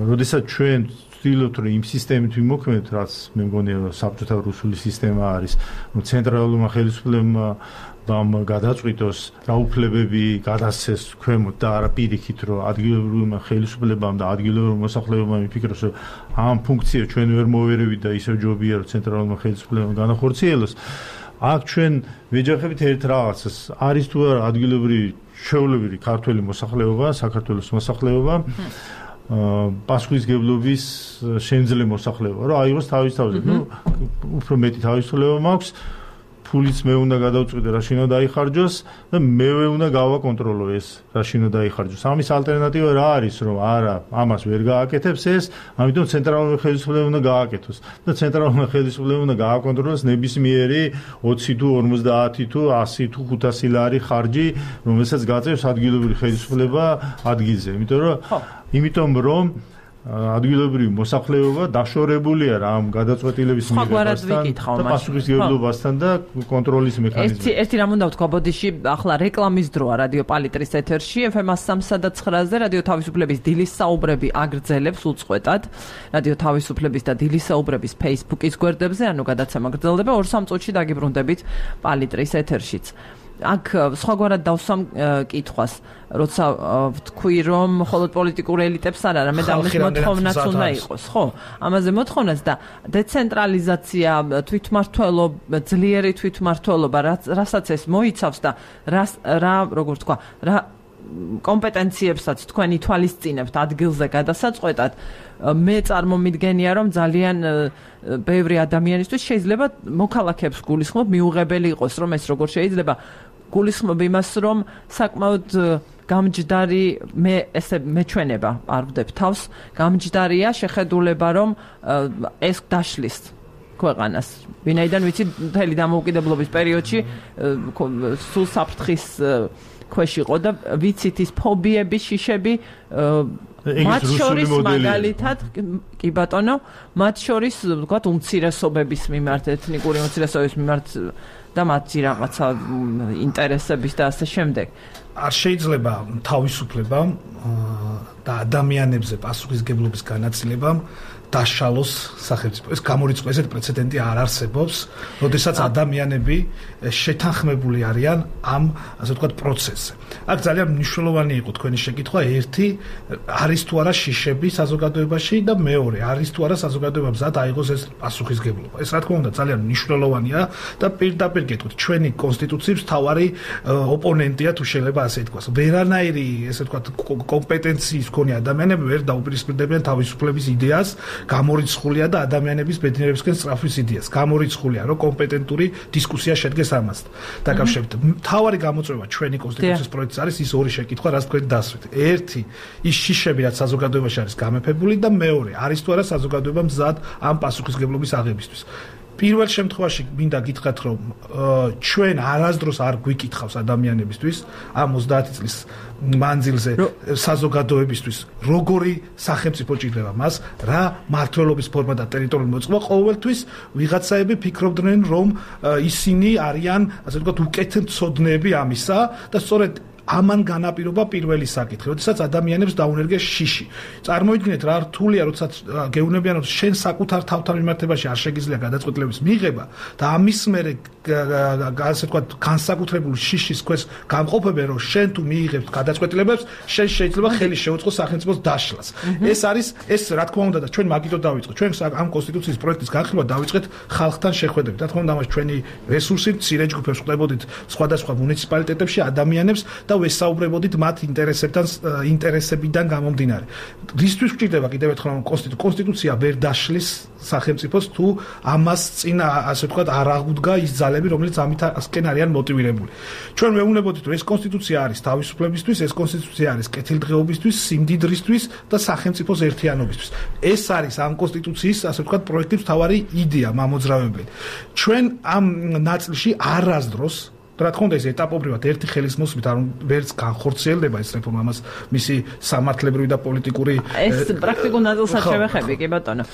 როდესაც ჩვენ ვცდილობთ, რომ იმ სისტემით ვიმოქმედოთ, რაც მე მგონია საბჭოთა რუსული სისტემა არის, რომ ცენტრალურმა ხელისუფლებამ ბამ გადაწყვიტოს დაუფლებები გადასცეს ქვემოთ და არა პირიქით, რომ ადგილობრივმა ხელისუფლებამ და ადგილობრივ მოსახლეობამ იფიქროს, რომ ამ ფუნქციას ჩვენ ვერ მოვერევით და ისევ ჯობია, რომ ცენტრალურმა ხელისუფლებამ განახორციელოს. აქ ჩვენ ვეჯახებით ერთ რაღაცას, არის თუ არა ადგილობრივი ჩვეულებრივი ქართველი მოსახლეობა, საქართველოს მოსახლეობა, პასუხისმგებლობის შემძლე მოსახლეობა, რომ აიღოს თავის თავზე. ნუ უფრო მეტი თავისუფლება მაქვს, ფულიც მე უნდა გადავწყვიტე რა შინო დაიხარჯოს და მევე უნდა გავაკონტროლო ეს რა შინო დაიხარჯოს. ამის ალტერნატივა რა არის, რომ არა, ამას ვერ გააკეთებს ეს, ამიტომ ცენტრალური ხელისუფლება უნდა გააკეთოს. და ცენტრალური ხელისუფლება უნდა გააკონტროლოს ნებისმიერი ოცი თუ ორმოცდაათი თუ ასი თუ ხუთასი ლარი ხარჯი, რომელსაც გაწევს ადგილობრივი ხელისუფლება ადგილზე. იმიტომ რომ იმიტომ რომ ადგილობრივი მოსახლეობა დაშორებულია რა ამ გადაწყვეტილების მიღებასთან და პასუხისმგებლობასთან და კონტროლის მექანიზმით. ერთი ერთი რამ უნდა ვთქვა, ბოდიში ახლა რეკლამის დროა რადიო პალიტრის ეთერში, ეფ ემ სამსა და ცხრაზე რადიო თავისუფლების დილის საუბრები აგრძელებს უწყვეტად. რადიო თავისუფლების და დილის საუბრების Facebook-ის გვერდებზე, ანუ გადაცემა გრძელდება ორ სამ წუთში დაგიბრუნდებით პალიტრის ეთერშიც. აქ სხვაგვარად დავსვამ კითხვას, როცა ვთქვი, რომ მხოლოდ პოლიტიკური ელიტებს არ არა, მე და ამის მოთხოვნაც უნდა იყოს, ხო? ამაზე მოთხოვნაც და დეცენტრალიზაცია, თვითმმართველობა, ძლიერი თვითმმართველობა, რასაც ეს მოიცავს და რა, როგორ ვთქვა, რა კომპეტენციებსაც თქვენ ითვალისწინებთ ადგილზე გადასაწყვეტად, მე წარმომიდგენია, რომ ძალიან ბევრი ადამიანისთვის შეიძლება მოქალაქეებს გულისხმობ მიუღებელი იყოს, რომ ეს როგორ შეიძლება გულისხმობ იმას, რომ საკმაოდ გამჯდარი მე ესე მეჩვენება არ ვდებ თავს, გამჯდარია შეხედულება, რომ ეს დაშლის ქვეყანას. ვინაიდან ვიცი, მთელი დამოუკიდებლობის პერიოდში სულ საფრთხის ქვეშ იყო და ვიცით ის ფობიები, შიშები, მათ შორის მაგალითად, კი ბატონო, მათ შორის ვთქვათ უმცირესობების მიმართ, ეთნიკური უმცირესობების მიმართ და მათი რაღაცა ინტერესების და ასე შემდეგ. არ შეიძლება თავისუფლებამ და ადამიანებზე პასუხისმგებლობის განაწილებამ დაშალოს სახელმწიფო. ეს გამორიცხვა, ესეთი პრეცედენტი არ არსებობს, როდესაც ადამიანები შეთანხმებული არიან ამ, ასე ვთქვათ, პროცესზე. აქ ძალიან მნიშვნელოვანი იყო თქვენი შეკითხვა, ერთი, არის თუ არა შიშები საზოგადოებაში და მეორე, არის თუ არა საზოგადოებამ მზად აიღოს ეს პასუხისმგებლობა. ეს რა თქმა უნდა ძალიან მნიშვნელოვანია და პირდაპირ გეტყვით, ჩვენი კონსტიტუციის მთავარი ოპონენტია, თუ შეიძლება ასე ითქვას. ვერანაირი, ესე ვთქვათ, კომპეტენციის მქონე ადამიანები ვერ დაუპირისპირდებიან თავისუფლების იდეას, გამორიცხულია და ადამიანების ბედნიერებისკენ სწრაფვის იდეას. გამორიცხულია, რომ კომპეტენტური დისკუსია შედგეს ამასთან. დაკავშირებით, მთავარი გამოწვევა ჩვენი კონსტიტუციის პროექტს არის ის ორი შეკითხვა, რაც თქვენ დასვით. ერთი, ის შიშები, რაც საზოგადოებაში არის გამეფებული და მეორე, არის თუ არა საზოგადოება მზად ამ პასუხისმგებლობის აღებისთვის. პირველ შემთხვევაში მინდა გითხრათ, რომ ჩვენ არასდროს არ გვიკითხავს ადამიანებისთვის ამ ოცდაათი წლის მანძილზე საზოგადოებისთვის როგორი სახელმწიფო ჭირდება მას, რა მმართველობის ფორმა და ტერიტორიული მოწყობა. ყოველთვის ვიღაცაები ფიქრობდნენ, რომ ისინი არიან, ასე ვთქვათ, უკეთმცოდნეები ამისა და სწორედ ამან განაპირობა პირველი საკითხი, როდესაც ადამიანებს დაუნერგეს შიში. წარმოიდგინეთ რა რთულია, როდესაც გეუბნებიან, რომ შენ საკუთარ თავთან მიმართებაში არ შეგიძლია გადაწყვეტილების მიღება და ამის მერე ასე ვთქვათ, განსაკუთრებული შიშის ქვეშ გამყოფებენ, რომ შენ თუ მიიღებ გადაწყვეტილებებს, შენ შეიძლება ხელი შეუწყო სახელმწიფოს დაშლას. ეს არის ეს რა თქმა უნდა და ჩვენ მაგითო დავიწყეთ. ჩვენ ამ კონსტიტუციის პროექტის განხილვა დავიწყეთ ხალხთან შეხვედრებით. რა თქმა უნდა, ამას ჩვენი რესურსით მცირე ჯგუფებს ვყდებოდით სხვადასხვა მუნიციპალიტეტებში ადამიანებს და ვესაუბრებოდით მათ ინტერესებთან ინტერესებიდან გამომდინარე. რისთვის გვჭირდება კიდევ ერთხელ კონსტიტუცია ვერ დაშლის სახელმწიფოს თუ ამას წინ ასე ვთქვათ არ აღუდგა ის ძალები, რომელიც ამითკენ არიან მოტივირებული. ჩვენ ვეუბნებოდით, რომ ეს კონსტიტუცია არის თავისუფლებისთვის, ეს კონსტიტუცია არის კეთილდღეობისთვის, სიმდიდრისთვის და სახელმწიფოს ერთიანობისთვის. ეს არის ამ კონსტიტუციის ასე ვთქვათ პროექტის მთავარი იდეა, მამოძრავებელი. ჩვენ ამ ნაწილში არასდროს რა თქმა უნდა ეს ეტაპობრივად ერთი ხელის მოსმით არ ვერც განხორციელდება ეს რეფორმა, ამას მისი სამართლებრივი და პოლიტიკური ეს პრაქტიკულ ნაწილსაც შევეხები, კი ბატონო.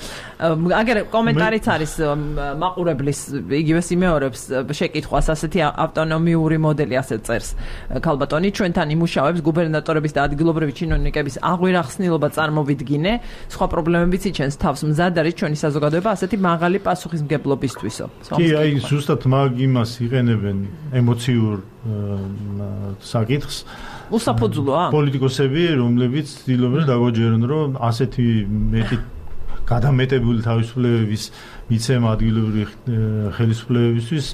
აგერ კომენტარიც არის მაყურებლის იგივე იმეორებს შეკითხვას, ასეთი ავტონომიური მოდელი ასეთ წერს ქალბატონი, ჩვენთან იმუშავებს გუბერნატორების და ადგილობრივი ჩინოვნიკების აღვირახსნილობა წარმოვიდგინე, სხვა პრობლემებიც იჩენს თავს, მზად არის ჩვენი საზოგადოება ასეთი მაღალი პასუხისმგებლობისთვისო. კი, აი ზუსტად მაგ იმას იყენებენ ემოციურ საკითხს. უსაფუძვლოა? პოლიტიკოსები, რომლებიც ცდილობენ დაგვაჯერონ, რომ ასეთი მეტი გადამეტებული თავისუფლებების მიცემა ადგილობრივი ხელისუფლებებისთვის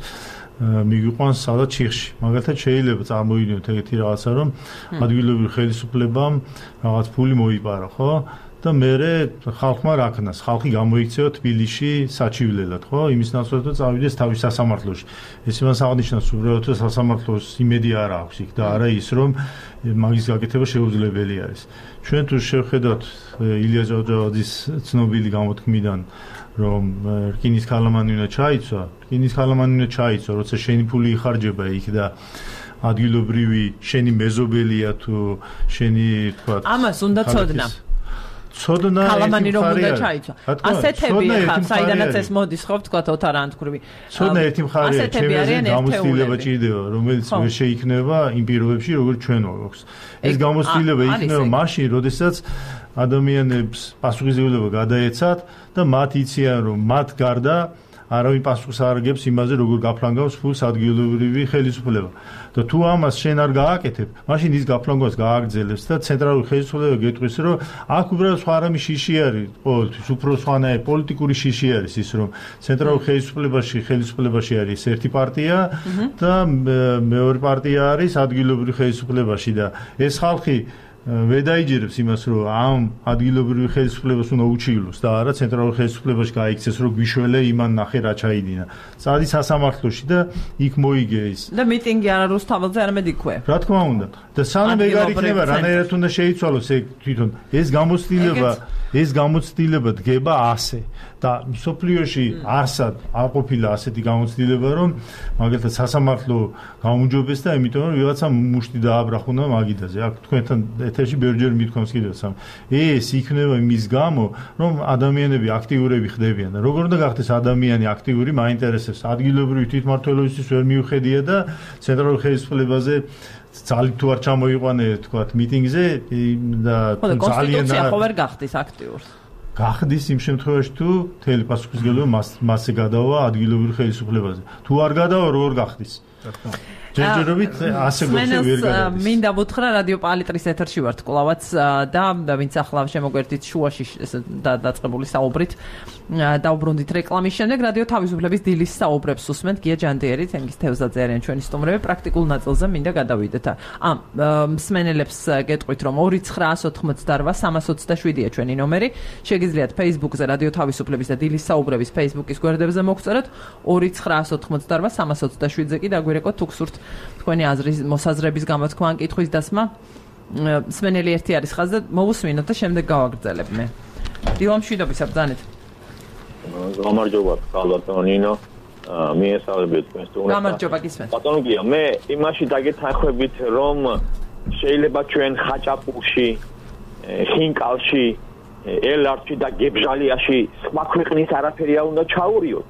მიგვიყვანს სადაც ჩიხში. მაგალითად შეიძლება წარმოიდგინოთ ეგეთი რაღაცა, რომ ადგილობრივი ხელისუფლებამ რაღაც ფული მოიპარა, ხო? და მერე ხალხმა რა ქნას, ხალხი გამოიქცევა თბილისში საჩივლელად, ხო? იმის ნაცვლად რომ წავიდეს თავის სასამართლოში. ეს იმას აღნიშნავს, უბრალოდ რომ სასამართლოს იმედი არ აქვს იქ და არა ის, რომ მაგის გაკეთება შეუძლებელი არის. ჩვენ თუ შევხედავთ ილია ჭავჭავაძის ცნობილი გამოთქმიდან, რომ რკინის ქალამანი უნდა ჩაიცვა, რკინის ქალამანი უნდა ჩაიცვა, როცა შენი ფული იხარჯება იქ და ადგილობრივი შენი მეზობელია თუ შენი თქვა ამას უნდა ცოდნა. ცოდნა ქალამანი რომ უნდა ჩაიცვა. ასეთები ხარ, საიდანაც ეს მოდის, ხო, თქვა ოთარ ანთქრუვი. ცოდნა ერთი მხარეა, ჩემზე გამოცდილება ჭირდება, რომელიც ვერ შეიქმნება იმ პირობებში, როგორც ჩვენ გვაქვს. ეს გამოცდილება იქნება მაშინ, როდესაც ადამიანებს პასუხისმგებლობა გადაეცათ და მათ იციან, რომ მათ გარდა არავინ პასუხს არ აგებს იმაზე, როგორ გაფლანგავს ფულს ადგილობრივი ხელისუფლება. და თუ ამას შენ არ გააკეთებ, მაშინ ის გაფლანგვას გააგრძელებს და ცენტრალური ხელისუფლება გეტყვის, რომ აქ უბრალოდ სხვა რამე შიში არის, ყოველთვის უფრო სხვანაირი პოლიტიკური შიში არის ის, რომ ცენტრალურ ხელისუფლებაში ხელისუფლებაში არის ერთი პარტია და მეორე პარტია არის ადგილობრივი ხელისუფლებაში და ეს ხალხი ვედაიჯერებს იმას, რომ ამ ადგილობრივი ხელისუფლებას უნდა უჩივლოს და არა ცენტრალურ ხელისუფლებაში გაიქცეს, რომ გვიშველე იმან ნახე რა ჩაიდინა. წადი სასამართლოში და იქ მოიგე ის. და მიტინგი არა რუსთაველზე, არამედ იქვე. რა თქმა უნდა. და სანამ ეგ არ იქნება, რანაირად უნდა შეიცვალოს ეგ თვითონ. ეს გამოცდილება, ეს გამოცდილება დგება ასე. და სოფლიოში არსად არ ყოფილა ასეთი გამოცდილება, რომ მაგალითად სასამართლო გაუმჯობეს და იმიტომ რომ ვიღაცა მუშტი დააბრახუნა მაგიდაზე. აქ თქვენთან ეთერში ბევრჯერ მithქვამს კიდევ სამ. ეს იქნება იმის გამო, რომ ადამიანები აქტიურები ხდებიან და როგორ უნდა გახდეს ადამიანი აქტიური, მაინტერესებს ადგილობრივი თვითმმართველობისთვის ვერ მიუხედია და ცენტრალურ ხელისუფლებაზე ძალიან თუ არ ჩამოიყვანე, თქვათ, მიტინგზე და ძალიან კონსტიტუცია ხო ვერ გახდის აქტიურს. გახდის იმ შემთხვევაში თუ თელი პასუხისმგებლობა მას მასზე გადავა ადგილობრივ ხელისუფლებაზე. თუ არ გადავა, როგორ გახდის? ჯერჯერობით ასე გოჩე ვერ გადადის. მინდა ვუთხრა რადიო პალიტრის ეთერში ვართ კლავაც და ვინც ახლა შემოგვერთით შუაში დაწყებული საუბრით დაუბრუნდით რეკლამის შემდეგ რადიო თავისუფლების დილის საუბრებს უსმენთ გია ჯანდიერი, თენგიზ თევზაძე არიან ჩვენი სტუმრები, პრაქტიკულ ნაწილზე მინდა გადავიდეთ. ამ მსმენელებს გეტყვით, რომ ორი ცხრაას ოთხმოცდარვა სამას ოცდაშვიდია ჩვენი ნომერი. შეგიძლიათ Facebook-ზე რადიო თავისუფლების და დილის საუბრების Facebook-ის გვერდებზე მოგწეროთ ორი ცხრაას ოთხმოცდარვა სამას ოცდაშვიდზე კი დაგვირეკოთ თუ გსურთ თქვენი აზრის მოსაზრების გამოთქმა ან კითხვის დასმა. მსმენელი ერთი არის ხაზზე, მოვუსმინოთ და შემდეგ გავაგრძელებ მე. დილამშვიდობის აბრძანეთ. გამარჯობა ქალბატონინო მიესალმებით თქვენს თუნდაც გამარჯობა გისმენთ ბატონო გია მე იმაში დაგეთანხმებით რომ შეიძლება ჩვენ ხაჭაპურში ხინკალში ელარჩი და გებჟალიაში სხვა ქვეყნის არაფერი არ უნდა ჩაურიოთ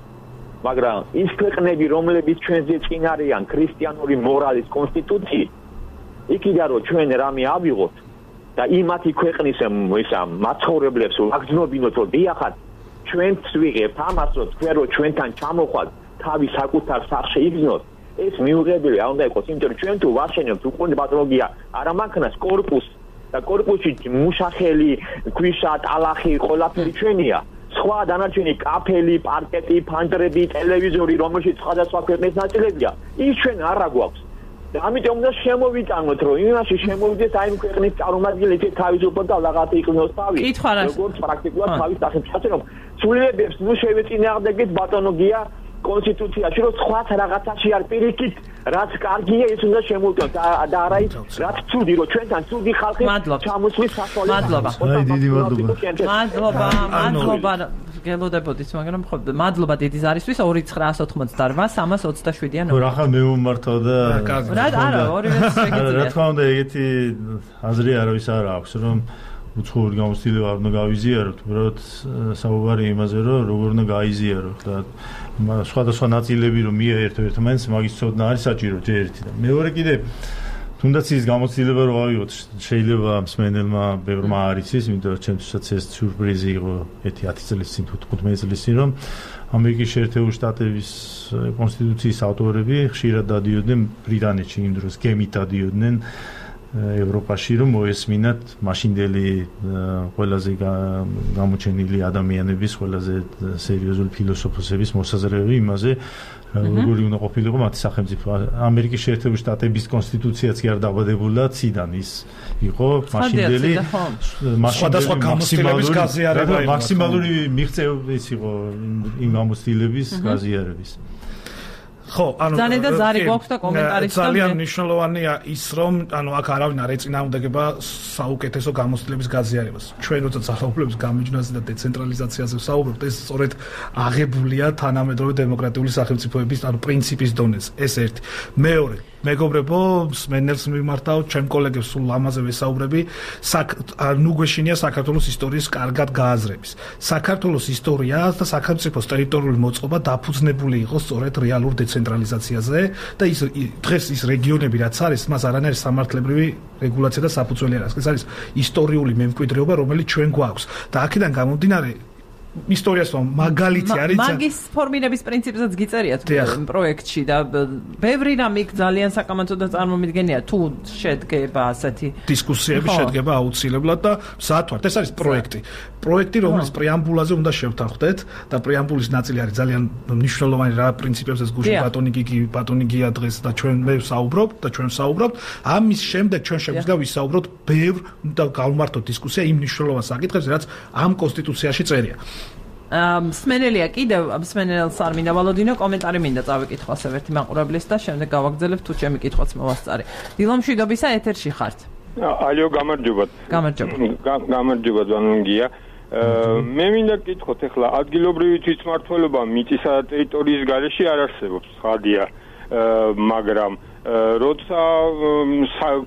მაგრამ ის ქვეყნები რომლებიც ჩვენზე წინ არიან ქრისტიანული მორალის კონსტიტუციით იქიდან რომ ჩვენ რამე ავიღოთ და იმათი ქვეყნის ისა მაცხოვრებლებს ვაგრძნობინოთ რომ დიახად ჩვენც ვიღებთ ამას რომ თქვენ რომ ჩვენთან ჩამოხვათ თავის საკუთარ სახში იგზნოთ ეს მიუღებელი არ უნდა იყოს იმიტომ რომ ჩვენ თუ ვაშენებთ უკვე პათოლოგია არა მანქანას კორპუსს და კორპუსში მუშახელი ქვიშა ტალახი ყველაფერი ჩვენია სხვა დანარჩენი კაფელი პარკეტი ფანჯრები ტელევიზორი რომელშიც სხვადასხვა ქვეყნის ნაწილებია ის ჩვენ არ აგვაქვს და ამიტომ უნდა შემოვიტანოთ რომ იმაში შემოვიდეს აი იმ ქვეყნის წარმომადგენლები თავისუფლად და რაღაცა იყვნოს თავი როგორც პრაქტიკულად თავის სახებში რომ სულიებებს ნუ შევეწინააღმდეგეთ ბატონო გია კონსტიტუციაში რომ სხვა რაღაცაში არ პირიქით რაც კარგია ის უნდა შემოვიტანოთ და არა ის რაც ცუდი რომ ჩვენთან ცუდი ხალხი ჩამოსვლის საშუალება მადლობა აი დიდი მადლობა მადლობა მადლობა გელოდებოდით მაგრამ ხო მადლობა დიდი ზარისთვის ორი ცხრაას ოთხმოცდაოთხ სამას ოცდაშვიდიან რა ხა მე ვმართავ და რა არა ორივე შეგიძლიათ რა თქმა უნდა ეგეთი აზრი არავის არ აქვს რომ უცხოური გამოცდილება არ უნდა გავიზიაროთ, უბრალოდ საუბარი იმაზე, რომ როგორ უნდა გაიზიაროთ და სხვადასხვა ნაწილები რომ მიაერთო ერთმანეთს, მაგის ცოდნა არის საჭირო ერთი და მეორე კიდე თუნდაც ის გამოცდილება რომ ავიღოთ, შეიძლება მსმენელმა ბევრმა არ იცის, იმიტომ რომ ჩემთვისაც ეს სიურპრიზი იყო ერთი ათი წლის წინ თუ თხუთმეტი წლის წინ რომ ამერიკის შეერთებული შტატების კონსტიტუციის ავტორები ხშირად დადიოდნენ ბრიტანეთში იმ დროს გემით დადიოდნენ ევროპაში რომ მოესმინათ მაშინდელი ყველაზე გამოჩენილი ადამიანების ყველაზე სერიოზული ფილოსოფოსების მოსაზრებები იმაზე როგორი უნდა ყოფილიყო მათი სახელმწიფო ამერიკის შეერთებული შტატების კონსტიტუციაც კი არ დაბადებულა ციდან ის იყო მაშინდელი სხვადასხვა გამოცდილების გაზიარება მაქსიმალური მიღწევა ის იყო იმ გამოცდილების გაზიარების ხო, ანუ ძალიან და ზარი გვაქვს და კომენტარის ძალიან მნიშვნელოვანია ის რომ ანუ აქ არავინ არ ეწინააღმდეგება საუკეთესო გამოცდილების გაზიარებას. ჩვენ როცა ძალაუფლების გამიჯვნაზე და დეცენტრალიზაციაზე ვსაუბრობთ, ეს სწორედ აღებულია თანამედროვე დემოკრატიული სახელმწიფოების ანუ პრინციპის დონეზე. ეს ერთი. მეორე, მეგობრებო, მსმენელს მიმართავ, ჩემ კოლეგებს სულ ამაზე ვესაუბრები, ნუ გვეშინია საქართველოს ისტორიის კარგად გააზრების. საქართველოს ისტორია და სახელმწიფოს ტერიტორიული მოწყობა დაფუძნებული იყო სწორედ რეალურ დეცენტრალიზაციაზე და ის დღეს ის რეგიონები რაც არის, მას არანაირი სამართლებრივი რეგულაცია და საფუძველი არ აქვს. ეს არის ისტორიული მემკვიდრეობა, რომელიც ჩვენ გვაქვს. და აქედან გამომდინარე ისტორიას მაგალითი არის მაგის ფორმირების პრინციპზეც გიწერიათ პროექტში და ბევრი რამ იქ ძალიან საკამათო და წარმომიდგენია თუ შედგება ასეთი დისკუსიები შედგება აუცილებლად და მზად ვართ ეს არის პროექტი პროექტი რომელიც პრეამბულაზე უნდა შევთანხმდეთ და პრეამბულის ნაწილი არის ძალიან მნიშვნელოვანი რა პრინციპებზეც გუშინ ბატონი გიგი ბატონი გია დღეს და ჩვენ მე ვსაუბრობ და ჩვენ ვსაუბრობთ ამის შემდეგ ჩვენ შეგვიძლია ვისაუბროთ ბევრ და გავმართოთ დისკუსია იმ მნიშვნელოვან საკითხებზე რაც ამ კონსტიტუციაში წერია მსმენელია კიდევ მსმენელს არ მინდა ვალოდინო კომენტარი მინდა წავიკითხო ასე ერთი მაყურებლის და შემდეგ გავაგრძელებ თუ ჩემი კითხვაც მოვასწარე დილომშვიდობისა ეთერში ხართ ალიო გამარჯობათ გამარჯობა გამარჯობა ზანონგია მე მინდა გკითხოთ ახლა ადგილობრივი თვითმმართველობა მიწისა და ტერიტორიის გარეშე არ არსებობს ხადია მაგრამ როცა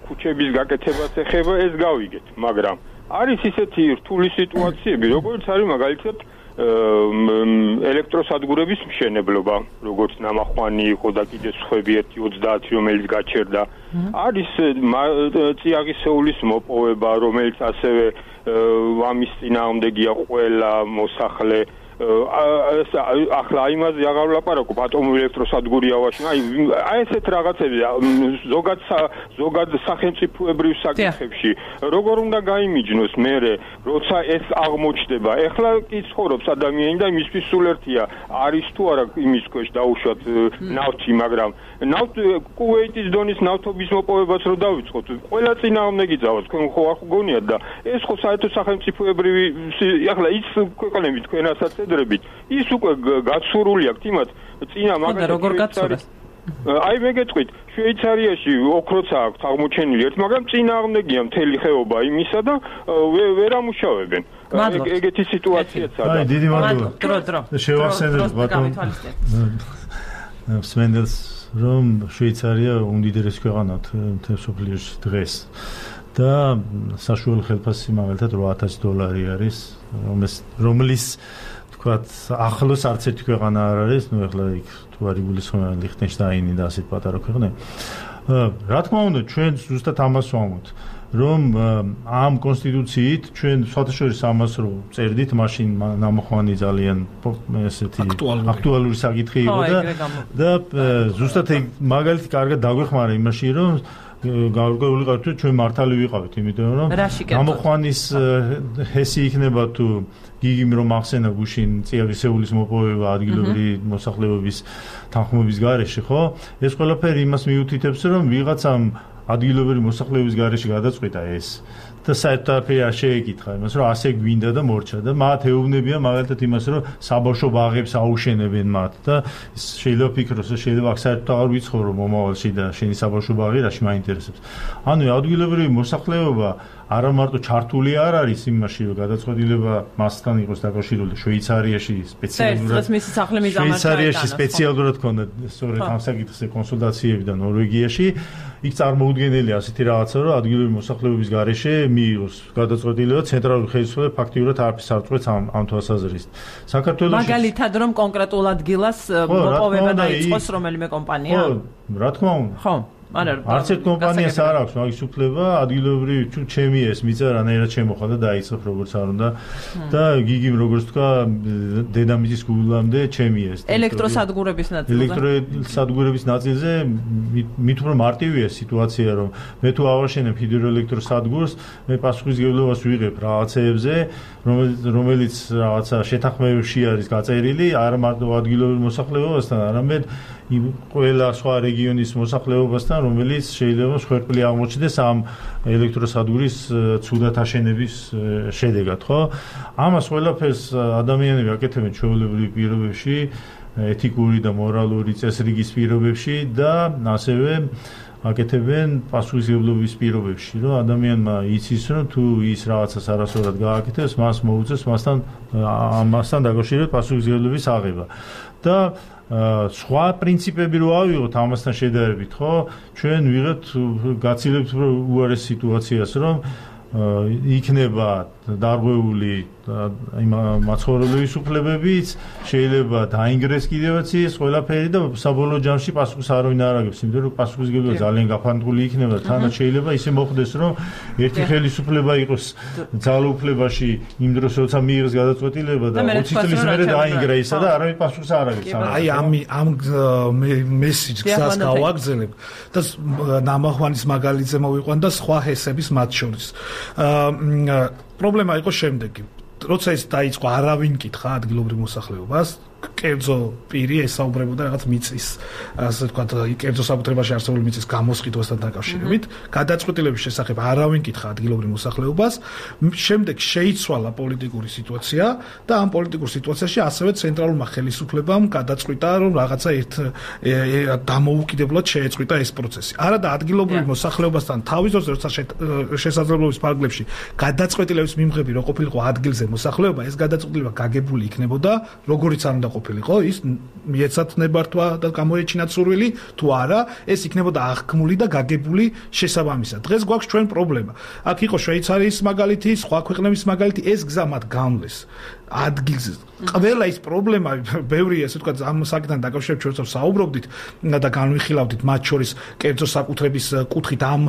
ქუჩების გაკეთებას ეხება ეს გავიგეთ მაგრამ არის ისეთი რთული სიტუაციები როგორც არის მაგალითად ელექტროსადგურების მშენებლობა, როგორც ნამახვანი იყო და კიდე სხვები ერთი ოცდაათი რომელიც გაჩერდა. არის წიაღისეულის მოპოვება, რომელიც ასევე ამის წინააღმდეგია ყველა მოსახლე. ახლა იმაზე აღარ ვლაპარაკობ ატომური ელექტროსადგური ავაშენა აი აი ესეთ რაღაცები ზოგად ზოგად სახელმწიფოებრივ საკითხებში როგორ უნდა გაიმიჯნოს მერე როცა ეს აღმოჩნდება ეხლა კი ცხოვრობს ადამიანი და იმისთვის სულ ერთია არის თუ არა იმის ქვეშ დაუშვათ ნავთი მაგრამ ნავთ კუვეიტის დონის ნავთობის მოპოვებას რო დავიწყოთ ყველა წინააღმდეგი ძავას თქვენ ხო არ გონიათ და ეს ხო საერთო სახელმწიფოებრივი ახლა ის ქვეყნები თქვენასაც ის უკვე გაცურული აქვს იმათ წინა მაგალითად როგორ გაცურეს აი მე გეტყვით შვეიცარიაში ოქროც აქვს აღმოჩენილი ერთ მაგრამ წინააღმდეგია მთელი ხეობა იმისა და ვერ ამუშავებენ ეგეთი სიტუაციაც არის. აი, დიდი მადლობა. დრო დრო. შევახსენებ ბატონ სმენდელს, რომ შვეიცარია უმდიდრესი ქვეყანაა მთელ მსოფლიოში დღეს. და საშუალო ხელფასი მაგალითად ორი ათასი დოლარი არის, რომლის თქვათ ახლოს არც ერთი ქვეყანა არ არის, ну ეხლა იქ თუ არ იგულისხმება ლიხტენშტაინი და ასეთ პატარა ქვეყნები. რა თქმა უნდა, ჩვენ ზუსტად ამას ვამბობთ, რომ ამ კონსტიტუციით ჩვენ სხვათაშორის ამას რო წერდით, მაშინ ნამოხვანი ძალიან ესეთი აქტუალური საკითხი იყო და და ზუსტად ეგ მაგალითი კარგად დაგვეხმარა იმაში, რომ გარკვეული ყავით ჩვენ მართალი ვიყავით, იმიტომ რომ ნამოხვანის ჰესი იქნება თუ გიგიმ რომ ახსენა გუშინ წიაღისეულის მოპოვება ადგილობრივი მოსახლეობის თანხმობის გარეშე, ხო? ეს ყველაფერი იმას მიუთითებს, რომ ვიღაცამ ადგილობრივი მოსახლეობის გარეშე გადაწყვიტა ეს და საერთოდ არ შეეკითხა იმას, რომ ასე გვინდა და მორჩა და მათ ეუბნებია მაგალითად იმას, რომ საბავშვო ბაღებს აუშენებენ მათ და შეიძლება ფიქროს, რომ შეიძლება აქ საერთოდ აღარ ვიცხოვრო მომავალში და შენი საბავშვო ბაღი რაში მაინტერესებს. ანუ ადგილობრივი მოსახლეობა არა მარტო ჩართული არ არის იმაში, რომ გადაწყვეტილება მასთან იყოს დაკავშირებული შვეიცარიაში სპეციალურად შვეიცარიაში სპეციალურად ქონდა სწორედ ამ საკითხზე კონსულტაციები და ნორვეგიაში იქ წარმოუდგენელი ასეთი რაღაცა, რომ ადგილობრივი მოსახლეობის გარეშე მიიღოს გადაწყვეტილება ცენტრალური ხელისუფლება ფაქტიურად არაფერს არ წყვეტს ამ ამ თვალსაზრისით. საქართველოში მაგალითად რომ კონკრეტულ ადგილას მოპოვება დაიწყოს რომელიმე კომპანია? ხო, რა თქმა უნდა. ხო. არც ერთ კომპანიას არ აქვს მაგის უფლება ადგილობრივი ჩემი ეს მიწა რანაირად შემოხდა და დაიწყებ როგორც არ უნდა და გიგიმ როგორც თქვა დედამიწის გულამდე ჩემი ეს ელექტროსადგურების ნაწილზე ელექტროსადგურების ნაწილზე მით უფრო მარტივია სიტუაცია რომ მე თუ ავაშენებ ჰიდროელექტროსადგურს მე პასუხისმგებლობას ვიღებ რაღაცეებზე რომელიც რაღაცა შეთანხმებებში არის გაწერილი არა მარტო ადგილობრივ მოსახლეობასთან არამედ იმ ყველა სხვა რეგიონის მოსახლეობასთან რომელიც შეიძლება მსხვერპლი აღმოჩნდეს ამ ელექტროსადგურის ცუდად აშენების შედეგად, ხო? ამას ყველაფერს ადამიანები აკეთებენ ჩვეულებრივ პირობებში, ეთიკური და მორალური წესრიგის პირობებში და ასევე აკეთებენ პასუხისმგებლობის პირობებში, რომ ადამიანმა იცის, რომ თუ ის რაღაცას არასწორად გააკეთებს, მას მოუწევს მასთან ამასთან დაკავშირებით პასუხისმგებლობის აღება. და სხვა პრინციპები რო ავიღოთ ამასთან შედარებით, ხო? ჩვენ ვიღებთ გაცილებთ უარეს სიტუაციას, რომ იქნება დარღვეული იმ მაცხოვრებლების უფლებებიც, შეიძლება დაინგრეს კიდევაც ის ყველაფერი და საბოლოო ჯამში პასუხს არავინ არ აგებს, იმიტომ რომ პასუხისმგებლობა ძალიან გაფანტული იქნება და თანაც შეიძლება ისე მოხდეს, რომ ერთი ხელისუფლება იყოს ძალაუფლებაში იმ დროს, როცა მიიღეს გადაწყვეტილება და ოცი წლის მერე დაინგრა ისა და არავინ პასუხს არ აგებს. აი ამ ამ მესიჯს გზას გავაგზავნებ და ნამახვანის მაგალითზე მოვიყვან და სხვა ჰესების მათ შორის. პრობლემა იყო შემდეგი. როცა ეს დაიწყო, არავინ კითხა ადგილობრივ მოსახლეობას, კერძო პირი ესაუბრებოდა რაღაც მიწის, ასე ვთქვათ, კერძო საკუთრებაში არსებული მიწის გამოსყიდვასთან დაკავშირებით, გადაწყვეტილების შესახებ არავინ კითხა ადგილობრივ მოსახლეობას, შემდეგ შეიცვალა პოლიტიკური სიტუაცია და ამ პოლიტიკურ სიტუაციაში ასევე ცენტრალურმა ხელისუფლებამ გადაწყვიტა, რომ რაღაცა ერთ დამოუკიდებლად შეეწყვიტა ეს პროცესი. არა და ადგილობრივ მოსახლეობასთან თავის დროს, როცა შესაძლებლობის ფარგლებში გადაწყვეტილების მიმღები რო ყოფილიყო ადგილზე მოსახლეობა, ეს გადაწყვეტილება გაგებული იქნებოდა, როგორიც არ უნდა ყოფილიყო, ის მიეცათ ნებართვა და გამოეჩინათ სურვილი, თუ არა, ეს იქნებოდა აღქმული და გაგებული შესაბამისად. დღეს გვაქვს ჩვენ პრობლემა. აქ იყო შვეიცარიის მაგალითი, სხვა ქვეყნების მაგალითი, ეს გზა მათ გამლეს. ადგილზე ყველა ის პრობლემა, ბევრი ასე ვთქვათ, ამ საკითხთან დაკავშირებით ჩვენ საუბრობდით და განვიხილავდით მათ შორის კერძო საკუთრების კუთხით ამ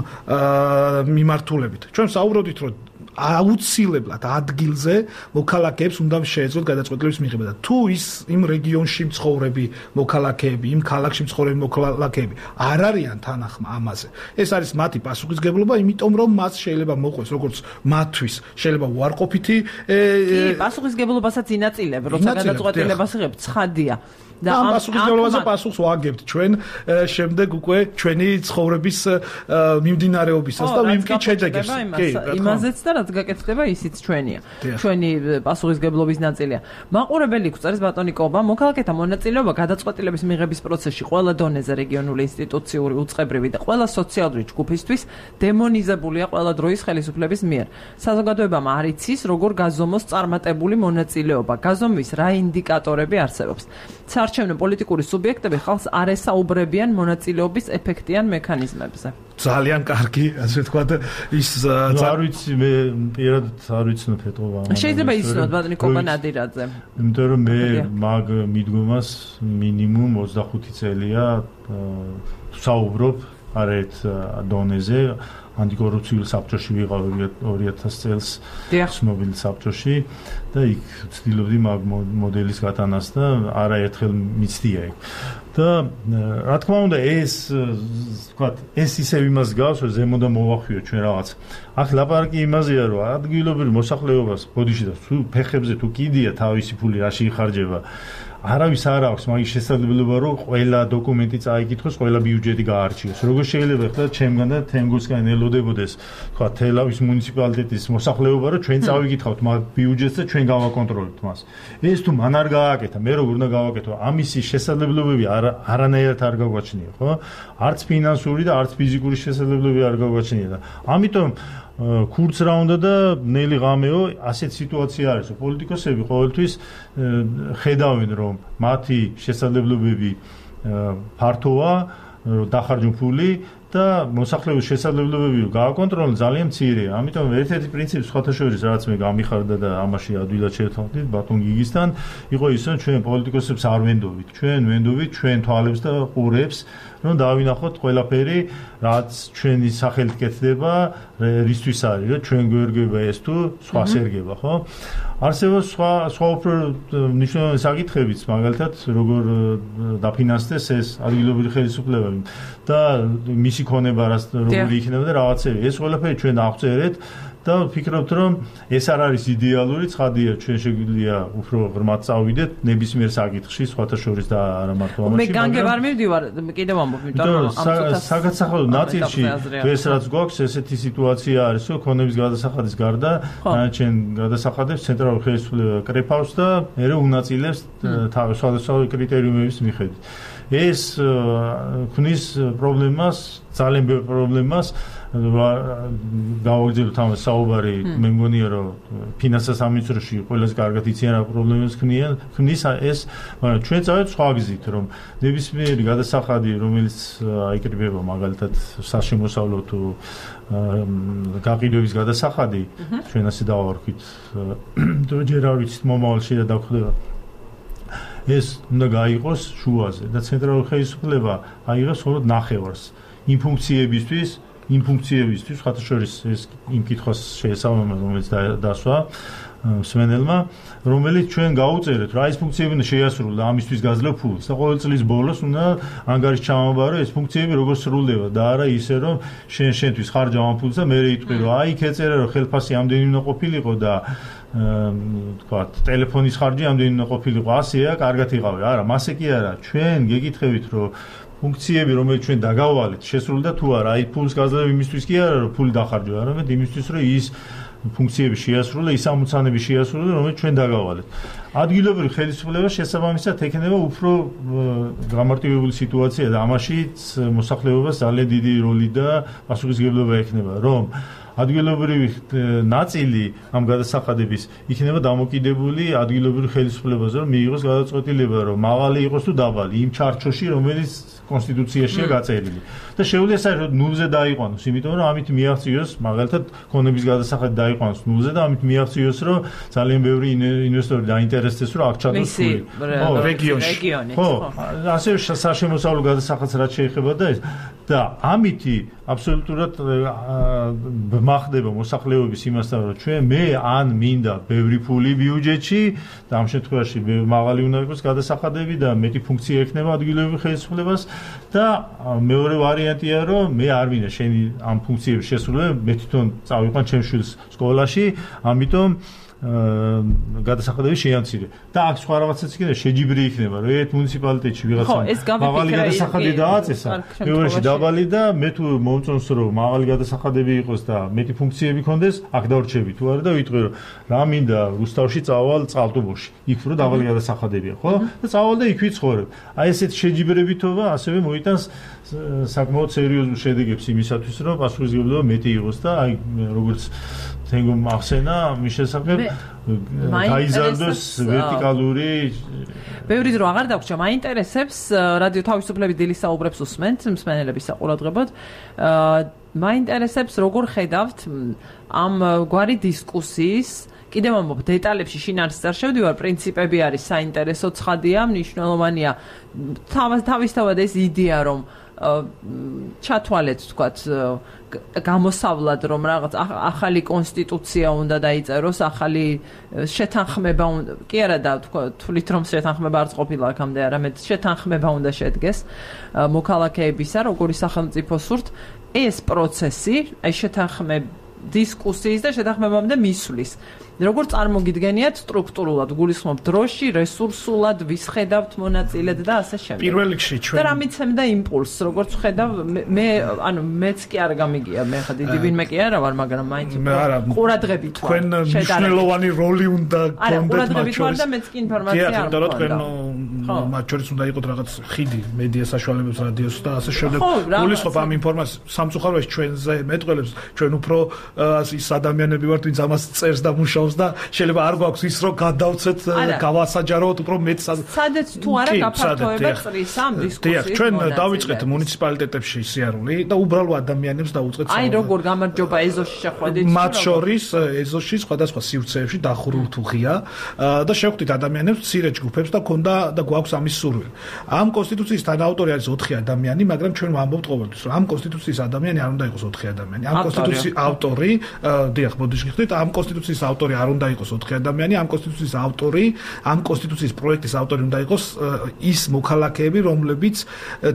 მიმართულებით. ჩვენ საუბრობდით, რომ აუცილებლად ადგილზე მოქალაქეებს უნდა შეეძლოთ გადაწყვეტილების მიღება და თუ ის იმ რეგიონში მცხოვრები მოქალაქეები, იმ ქალაქში მცხოვრები მოქალაქეები არ არიან თანახმა ამაზე. ეს არის მათი პასუხისმგებლობა, იმიტომ რომ მას შეიძლება მოყვეს როგორც მათთვის, შეიძლება უარყოფითი კი, პასუხისმგებლობასაც ინაწილებ, როცა გადაწყვეტილებას იღებ, ცხადია. და ამ პასუხისმგებლობაზე პასუხს ვაგებთ ჩვენ შემდეგ უკვე ჩვენი ცხოვრების მიმდინარეობისას და ვიმკით შედეგებს. კი, იმაზეც და რაც გაკეთდება ისიც ჩვენია. ჩვენი პასუხისმგებლობის ნაწილია. მაყურებელი გვწერს ბატონი კობა, მოქალაქეთა მონაწილეობა გადაწყვეტილების მიღების პროცესში ყველა დონეზე რეგიონული ინსტიტუციური უწყებრივი და ყველა სოციალური ჯგუფისთვის დემონიზებულია ყველა დროის ხელისუფლების მიერ. საზოგადოებამ არ იცის, როგორ გაზომოს წარმატებული მონაწილეობა. გაზომვის რა ინდიკატორები არსებობს. საარჩევნო პოლიტიკური სუბიექტები ხალხს არ ესაუბრებიან მონაწილეობის ეფექტიან მექანიზმებზე. ძალიან კარგი, ასე ვთქვათ, ის არ ვიცი, მე პირადად არ ვიცნობ ეტყობა. შეიძლება იცნოთ ბატონი კობა ნადირაძე. იმიტომ რომ მე მაგ მიდგომას მინიმუმ ოცდახუთი წელია საუბრობ არეთ დონეზე. ანტიკორუფციული საბჭოში ვიყავი ორი ათასი წელს ცნობილ საბჭოში და იქ ვცდილობდი მაგ მოდელის გატანას და არაერთხელ მიცდია იქ. და რა თქმა უნდა ეს ვთქვათ ეს ისევ იმას გავს რომ ზემოდან მოვახვიოთ ჩვენ რაღაც. აქ ლაპარაკი იმაზეა რომ ადგილობრივ მოსახლეობას ბოდიში და თუ ფეხებზე თუ კიდია თავისი ფული რაში იხარჯება არავის არ აქვს მაგის შესაძლებლობა რომ ყველა დოკუმენტი წაიკითხოს, ყველა ბიუჯეტი გაარჩიოს. როგორ შეიძლება ხდა ჩემგან და თემგოსგან ელოდებოდეს, თქვა თელავის მუნიციპალიტეტის მოსახლეობა რომ ჩვენ წავიკითხავთ მაგ ბიუჯეტს და ჩვენ გავაკონტროლებთ მას. ეს თუ მან არ გააკეთა, მე როგორ უნდა გავაკეთო? ამისი შესაძლებლობები არანაირად არ გაგვაჩნია, ხო? არც ფინანსური და არც ფიზიკური შესაძლებლობები არ გაგვაჩნია და ამიტომ ქურც რა უნდა და ნელი ღამეო ასეთ სიტუაცია არის რომ პოლიტიკოსები ყოველთვის ხედავენ რომ მათი შესაძლებლობები ფართოა დახარჯონ ფული და მოსახლეობის შესაძლებლობები რომ გააკონტროლონ ძალიან მცირეა. ამიტომ ერთ-ერთი პრინციპი სხვათა შორის რაც მე გამიხარდა და ამაში ადვილად შევთანხმდით ბატონ გიგისთან იყო ის რომ ჩვენ პოლიტიკოსებს არ ვენდოვით. ჩვენ ვენდოვით ჩვენ თვალებს და ყურებს რომ დავინახოთ ყველაფერი რაც ჩვენი სახელით კეთდება რისთვის არის რომ ჩვენ გვერგება ეს თუ სხვას ერგება ხო? არსებობს სხვა სხვა უფრო მნიშვნელოვანი საკითხებიც მაგალითად როგორ დაფინანსდეს ეს ადგილობრივი ხელისუფლებები და მისი ქონება რას როგორი იქნება და რაღაცები ეს ყველაფერი ჩვენ დავწერეთ და ვფიქრობთ რომ ეს არ არის იდეალური ცხადია ჩვენ შეგვიძლია უფრო ღრმად წავიდეთ ნებისმიერ საკითხში სხვათა შორის და არა მარტო ამაში. მე განგებ არ მივდივარ კიდევ ამბობ იმიტომ რომ ამ ცოტა საგაცახადო ნაწილში ეს რაც გვაქვს ესეთი სიტუაცია არის რომ ქონების გადასახადის გარდა ჩვენ გადასახადებს ცენტრალური ხელისუფლება კრეფავს და მე უნაწილებს თავის სხვადასხვა კრიტერიუმების მიხედვით. ეს ქმნის პრობლემას ძალიან ბევრ პრობლემას გავაგზავნოთ ამ საუბარი მე მგონია რომ ფინანსთა სამინისტროში ყველაზე კარგად იციან რა პრობლემებს ქმნის ეს მაგრამ ჩვენ წავედით სხვა გზით რომ ნებისმიერი გადასახადი რომელიც აიკრიბება მაგალითად საშემოსავლო თუ გაყიდვების გადასახადი ჩვენ ასე დავარქვით ჯერ არ ვიცით მომავალში რა დაგხვდება ეს უნდა გაიყოს შუაზე და ცენტრალური ხელისუფლება აიღოს მხოლოდ ნახევარს იმ ფუნქციებისთვის იმ ფუნქციებისთვის ხათა შორის ეს იმ კითხვას შეესაბამება რომელიც დასვა მსმენელმა რომელიც ჩვენ გავუწერეთ რა ეს ფუნქციები უნდა შეასრულოს და ამისთვის გაძლევ ფულს და ყოველ წლის ბოლოს უნდა ანგარიში ჩამოვაბარო ეს ფუნქციები როგორ სრულდება და არა ისე რომ შენ შენთვის ხარჯავ ამ ფულს და მე იტყვი რომ აი ქეწერა რომ ხელფასი ამდენი უნდა ყოფილიყო და თქვა ტელეფონის ხარჯი ამდენი უნდა ყოფილიყო ასეა კარგად იყავი არა მასე კი არა ჩვენ გეკითხებით რომ ფუნქციები რომელიც ჩვენ დაგავალეთ შესრულდა თუ არა აი ფულს გაძლევ იმისთვის კი არა რომ ფული დახარჯო არამედ იმისთვის რომ ის ფუნქციები შეასრულა ის ამოცანები შეასრულა რომელიც ჩვენ დაგავალეთ ადგილობრივი ხელისუფლება შესაბამისად ექნება უფრო გამარტივებული სიტუაცია და ამაშიც მოსახლეობას ძალიან დიდი როლი და პასუხისმგებლობა ექნება რომ ადგილობრივი ნაწილი ამ გადასახადების იქნება დამოკიდებული ადგილობრივი ხელისუფლებაზე რომ მიიღოს გადაწყვეტილება რომ მაღალი იყოს თუ დაბალი იმ ჩარჩოში რომელიც კონსტიტუციაშია გაწერილი და შეუძლია საერთოდ ნულზე დაიყვანოს იმიტომ რომ ამით მიაღწიოს მაგალითად ქონების გადასახადი დაიყვანოს ნულზე და ამით მიაღწიოს რომ ძალიან ბევრი ინვესტორი დაინტერესდეს რომ აქ ჩადოს ფული რეგიონში ხო ასე საშემოსავლო გადასახადს რაც შეეხება და ეს და ამითი აბსოლუტურად მახდება მოსახლეობის იმასთან რომ ჩვენ მე ან მინდა ბევრი ფული ბიუჯეტში და ამ შემთხვევაში მაღალი უნდა იყოს გადასახადები და მეტი ფუნქცია ექნება ადგილობრივ ხელისუფლებას და მეორე ვარიანტია რომ მე არ მინდა შენი ამ ფუნქციების შესრულება მე თვითონ წავიყვან ჩემ შვილს სკოლაში ამიტომ გადასახადები შეამცირე და აქ სხვა რაღაცაც იქნება შეჯიბრი იქნება რომ ერთ მუნიციპალიტეტში ვიღაცამ მაღალი გადასახადი დააწესა მეორეში დაბალი და მე თუ მომწონს რომ მაღალი გადასახადები იყოს და მეტი ფუნქციები ქონდეს აქ დავრჩები თუ არა და ვიტყვი რომ რა მინდა რუსთავში წავალ წყალტუბოში იქ რო დაბალი გადასახადებია ხო და წავალ და იქ ვიცხოვრებ აი ესეთ შეჯიბრებითობა ასევე მოიტანს საკმაოდ სერიოზულ შედეგებს იმისათვის რომ პასუხისმგებლობა მეტი იყოს და აი როგორც თენგომ ახსენა მის შესახებ გაიზარდოს ვერტიკალური ბევრი დრო აღარ დაგვრჩა მაინტერესებს რადიო თავისუფლების დილის საუბრებს უსმენთ მსმენელების საყურადღებოდ მაინტერესებს როგორ ხედავთ ამ გვარი დისკუსიის კიდევ ამბობ დეტალებში შინაარსს არ შევდივარ პრინციპები არის საინტერესო ცხადია მნიშვნელოვანია თავისთავად ეს იდეა რომ ჩათვალეთ თქვათ გამოსავლად რომ რაღაც ახალი კონსტიტუცია უნდა დაიწეროს ახალი შეთანხმება უნდა კი არა და თვლით რომ შეთანხმება არც ყოფილა აქამდე არამედ შეთანხმება უნდა შედგეს მოქალაქეებისა როგორი სახელმწიფო სურთ ეს პროცესი აი შეთანხმება დისკუსიის და შეთანხმებამდე მისვლის როგორ წარმოგიდგენიათ სტრუქტურულად გულისხმობ დროში რესურსულად ვისხედავთ მონაწილედ და ასე შემდეგ პირველ რიგში ჩვენ და რა მიცემდა იმპულსს როგორც ხედავ მე ანუ მეც კი არ გამიგია მე ხა დიდი ვინმე კი არა ვარ მაგრამ მაინც ყურადღებით თქვენ მნიშვნელოვანი როლი უნდა გქონდეთ მათ შორის და მეც კი ინფორმაცია არ მქონდა რა თქვენ მათ შორის უნდა იყოს რაღაც ხიდი მედია საშუალებებს რადიოს და ასე შემდეგ გულისხმობ ამ ინფორმაციას სამწუხაროდ ჩვენზე მეტყველებს ჩვენ უფრო ის ადამიანები ვართ ვინც ამას წერს და მუშაობს და შეიძლება არ გვაქვს ის რომ გადავცეთ გავასაჯაროთ უფრო მეტ სადაც თუ არა გაფართოება წრის ამ დისკუსიის ჩვენ დავიწყეთ მუნიციპალიტეტებში სიარული და უბრალო ადამიანებს დაუწყეთ აი როგორ გამარჯობა ეზოში შეხვედით მათ შორის ეზოში სხვადასხვა სივრცეებში დახურულ თუ ღია და შევხვდით ადამიანებს მცირე ჯგუფებს და ქონდა და გვაქვს ამის სურვილი ამ კონსტიტუციის თანაავტორი არის ოთხი ადამიანი მაგრამ ჩვენ ვამბობთ ყოველთვის რომ ამ კონსტიტუციის ადამიანი არ უნდა იყოს ოთხი ადამიანი ამ კონსტიტუციის ავტორი დიახ მოდიშ გიხდით ამ კონსტიტუციის ავტორი არ უნდა იყოს ოთხი ადამიანი ამ კონსტიტუციის ავტორი ამ კონსტიტუციის პროექტის ავტორი უნდა იყოს ის მოქალაქეები რომლებიც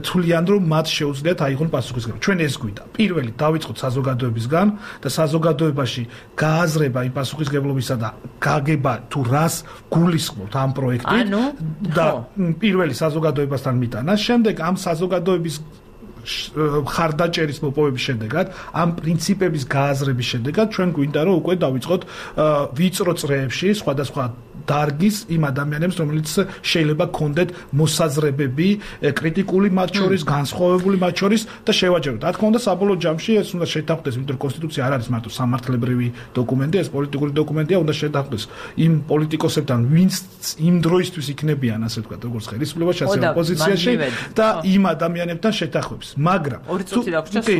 თვლიან რომ მათ შეუძლიათ აიღონ პასუხისმგებლობა ჩვენ ეს გვიდა პირველი დავიწყოთ საზოგადოებისგან და საზოგადოებაში გააზრება იმ პასუხისმგებლობისა და გაგება თუ რას გულისხმობთ ამ პროექტით და პირველი საზოგადოებასთან მიტანა შემდეგ ამ საზოგადოების ხარდაჭერის მოპოვების შედეგად ამ პრინციპების გააზრების შედეგად ჩვენ გვინდა რომ უკვე დავიწყოთ ვიწრო წრეებში სხვადასხვა დარგის იმ ადამიანებს რომელიც შეიძლება ქონდეთ მოსაზრებები კრიტიკული მათ შორის განსხვავებული მათ შორის და შევაჯეროთ რა თქმა უნდა საბოლოო ჯამში ეს უნდა შეთანხმდეს იმიტომ რომ კონსტიტუცია არ არის მარტო სამართლებრივი დოკუმენტი ეს პოლიტიკური დოკუმენტია უნდა შეთანხმდეს იმ პოლიტიკოსებთან ვინც იმ დროისთვის იქნებიან ასე ვთქვათ როგორც ხელისუფლებაში ასე ოპოზიციაში და იმ ადამიანებთან შეთანხმებს მაგრამ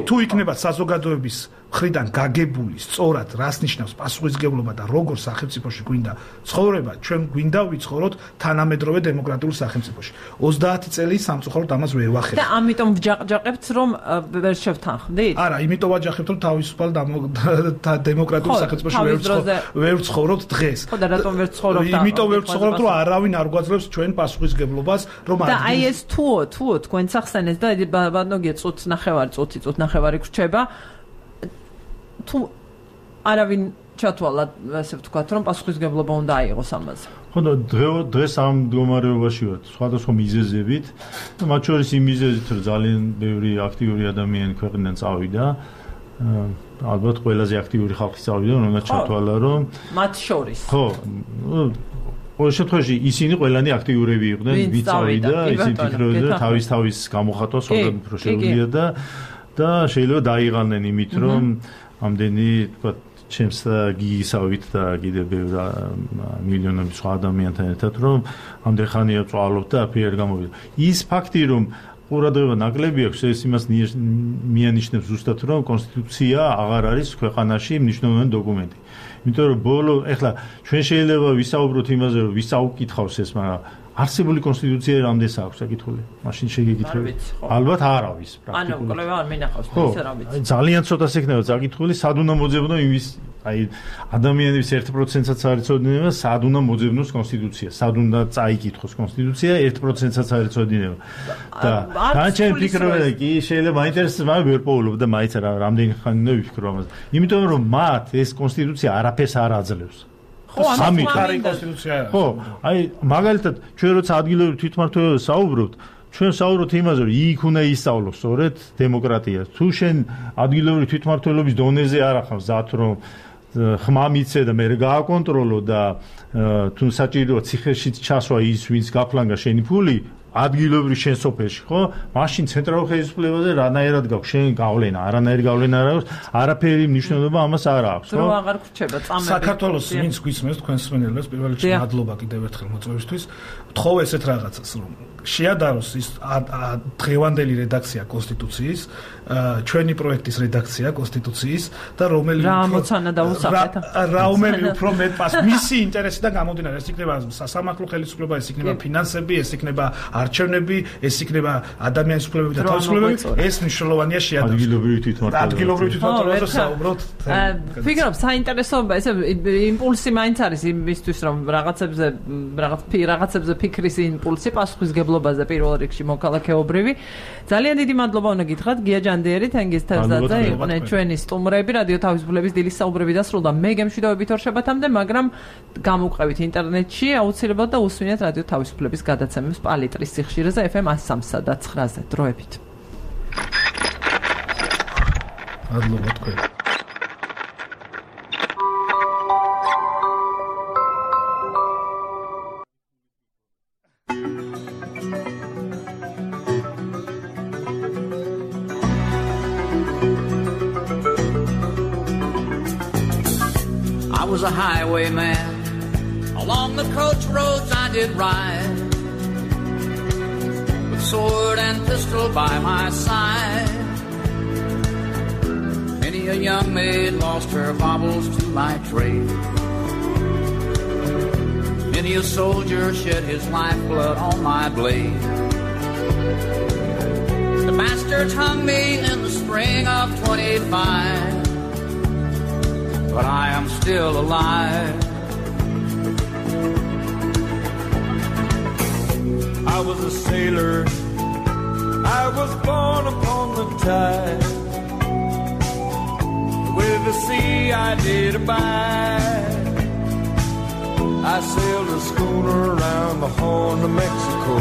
თუ იქნება საზოგადოების მხრიდან გაგებული სწორად რას ნიშნავს პასუხისმგებლობა და როგორ სახელმწიფოში გვინდა ცხოვრება ჩვენ გვინდა ვიცხოვროთ თანამედროვე დემოკრატიულ სახელმწიფოში ოცდაათი წელი სამწუხაროდ ამას ვერ ვახერხებთ და ამიტომ ვჯაყჯაყებთ რომ ვერ შევთანხმდით არა იმიტომ ვაჯახებთ რომ თავისუფალ დემოკრატიულ სახელმწიფოში ვერ ვცხოვრობთ დღეს ხო და რატომ ვერ ვცხოვრობთ იმიტომ ვერ ვცხოვრობთ რომ არავინ არ გვაძლევს ჩვენ პასუხისმგებლობას რომ და აი ეს თუო თუო თქვენ სახსენეს და ბანოგია წუთ ნახევარი წუთი წუთ ნახევარი გრჩება თუ არავინ ჩათვალა ასე ვთქვათ რომ პასუხისმგებლობა უნდა აიღოს ამაზე. ხო და დღეს ამ მდგომარეობაში ვართ სხვადასხვა მიზეზებით და მათ შორის იმ მიზეზით რომ ძალიან ბევრი აქტიური ადამიანი ქვეყნიდან წავიდა ალბათ ყველაზე აქტიური ხალხი წავიდა რომელმაც ჩათვალა რომ მათ შორის ხო ყოველ შემთხვევაში ისინი ყველანი აქტიურები იყვნენ ვინც წავიდა ისინი ფიქრობდნენ თავის თავის გამოხატვა სწორად უფრო შეუძლია და და შეიძლება დაიღალნენ იმით რომ ამდენი თქვა ჩემს გიგისავით და კიდე ბევრ მილიონობით სხვა ადამიანთან ერთად რომ ამდენ ხანია წვალობ და აფერი არ გამოვიდა ის ფაქტი რომ ყურადღება ნაკლები აქვს ეს იმას მიანიშნებს ზუსტად რომ კონსტიტუცია აღარ არის ქვეყანაში მნიშვნელოვანი დოკუმენტი იმიტომ რომ ბოლო ეხლა ჩვენ შეიძლება ვისაუბროთ იმაზე რომ ვის აუკითხავს ეს მაგრამ არსებული კონსტიტუცია რამდენს აქვს საკითხული? მაშინ შეგეკითხებით. ალბათ არავის პრაქტიკულად. ანუ კვლევა არ მინახავს ეს რა ვიცი. ძალიან ცოტას ექნება საკითხული, სად უნდა მოძებნო იმის, აი ადამიანების ერთ პროცენტსაც არ იცოდინება, სად უნდა მოძებნოს კონსტიტუცია, სად უნდა წაიკითხოს კონსტიტუცია, ერთ პროცენტსაც არ იცოდინება. და განჩენ ფიქრობენ კი შეიძლება მაინტერესებს, მაგრამ ვერ პოულობ და მაინც რა რამდენი ხანი უნდა ვიფიქრო ამაზე. იმიტომ რომ მათ ეს კონსტიტუცია არაფერს არ აძლევს. სამი კონსტიტუცია. ხო, აი მაგალითად ჩვენ როცა ადგილობრივ თვითმმართველობაზე საუბრობთ, ჩვენ საუბრობთ იმაზე, რომ იქ უნდა ისწავლოს სწორედ დემოკრატია. თუ შენ ადგილობრივ თვითმმართველობის დონეზე არ ახავს ზათ რომ ხმა მიცე და მე გააკონტროლო და თუ საჭიროა ციხეშიც ჩასვა ის ვინც გაფლანგა შენი ფული ადგილობრივ შენ სოფელში ხო? მაშინ ცენტრალურ ხელისუფლებაზე რანაირად გაქვს შენ გავლენა, არანაირი გავლენა არ აქვს, არაფერი მნიშვნელობა ამას არ აქვს, ხო? დრო აღარ გრჩება წამები. საქართველოს ვინც გვისმენთ თქვენ სმენელებს პირველ რიგში მადლობა კიდევ ერთხელ მოწვევისთვის. ვთხოვ ესეთ რაღაცას, რომ შეადაროს ის დღევანდელი რედაქცია კონსტიტუციის, ჩვენი პროექტის რედაქცია კონსტიტუციის და რომელი რა ამოცანა დაუსახეთ? რომელი უფრო მეტ პას მისი ინტერესიდან გამომდინარე, ეს იქნება სასამართლო ხელისუფლება, ეს იქნება ფინანსები, ეს იქნება არჩევნები, ეს იქნება ადამიანის უფლებები და თავისუფლებები, ეს მნიშვნელოვანია შეადაროს. ადგილობრივი თვითმმართველობა. ადგილობრივი თვითმმართველობაზე საუბრობთ. ფიქრობ, საინტერესოა, ესე იმპულსი მაინც არის იმისთვის, რომ რაღაცებზე რაღაც რაღაცებზე ფიქრის იმპულსი პასუხისგებლობაზე პირველ რიგში მოქალაქეობრივი. ძალიან დიდი მადლობა უნდა გითხრათ გია ჯანდიერი, თენგიზ თევზაძე, იყვნენ ჩვენი სტუმრები, რადიო თავისუფლების დილის საუბრები დასრულდა. მე გემშვიდობებით ორშაბათამდე, მაგრამ გამოვყევით ინტერნეტში, აუცილებლად და უსვინეთ რადიო თავისუფლების გადაცემებს პალიტრის სიხშირეზე ეფ ემ one oh three და nine-ზე. დროებით. მადლობა თქვენ. I was a highwayman. Along the coach roads I did ride, with sword and pistol by my side. Many a young maid lost her baubles to my trade. Many a soldier shed his lifeblood on my blade. The bastards hung me in the spring of twenty-five, but I am still alive. I was a sailor, I was born upon the tide. With the sea I did abide. I sailed a schooner around the Horn of Mexico.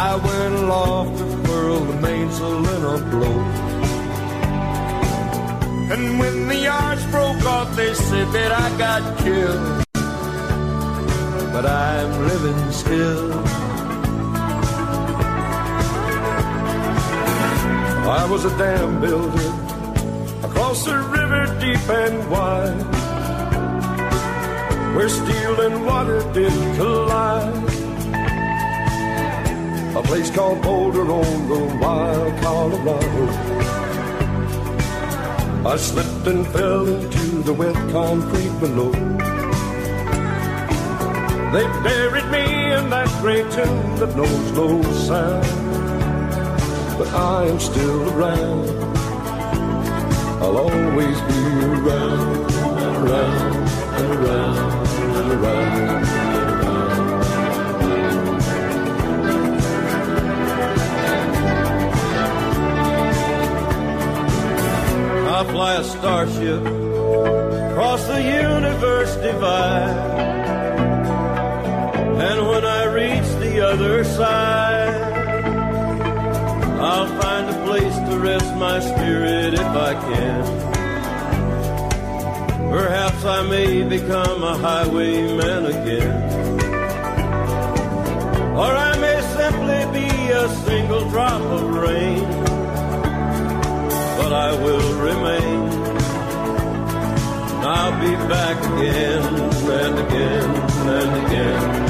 I went aloft to furl the mainsail in a blow. And when the yards broke off, they said that I got killed. But I'm living still. I was a dam builder across a river deep and wide, where steel and water did collide. A place called Boulder on the wild Colorado. I slipped and fell into the wet concrete below. They buried me in that great tomb that knows no sound. But I am still around. I'll always be around and around and around and around. I fly a starship across the universe divide. And when I reach the other side, I'll find a place to rest my spirit if I can. Perhaps I may become a highwayman again. Or I may simply be a single drop of rain. But I will remain. I'll be back again and again and again.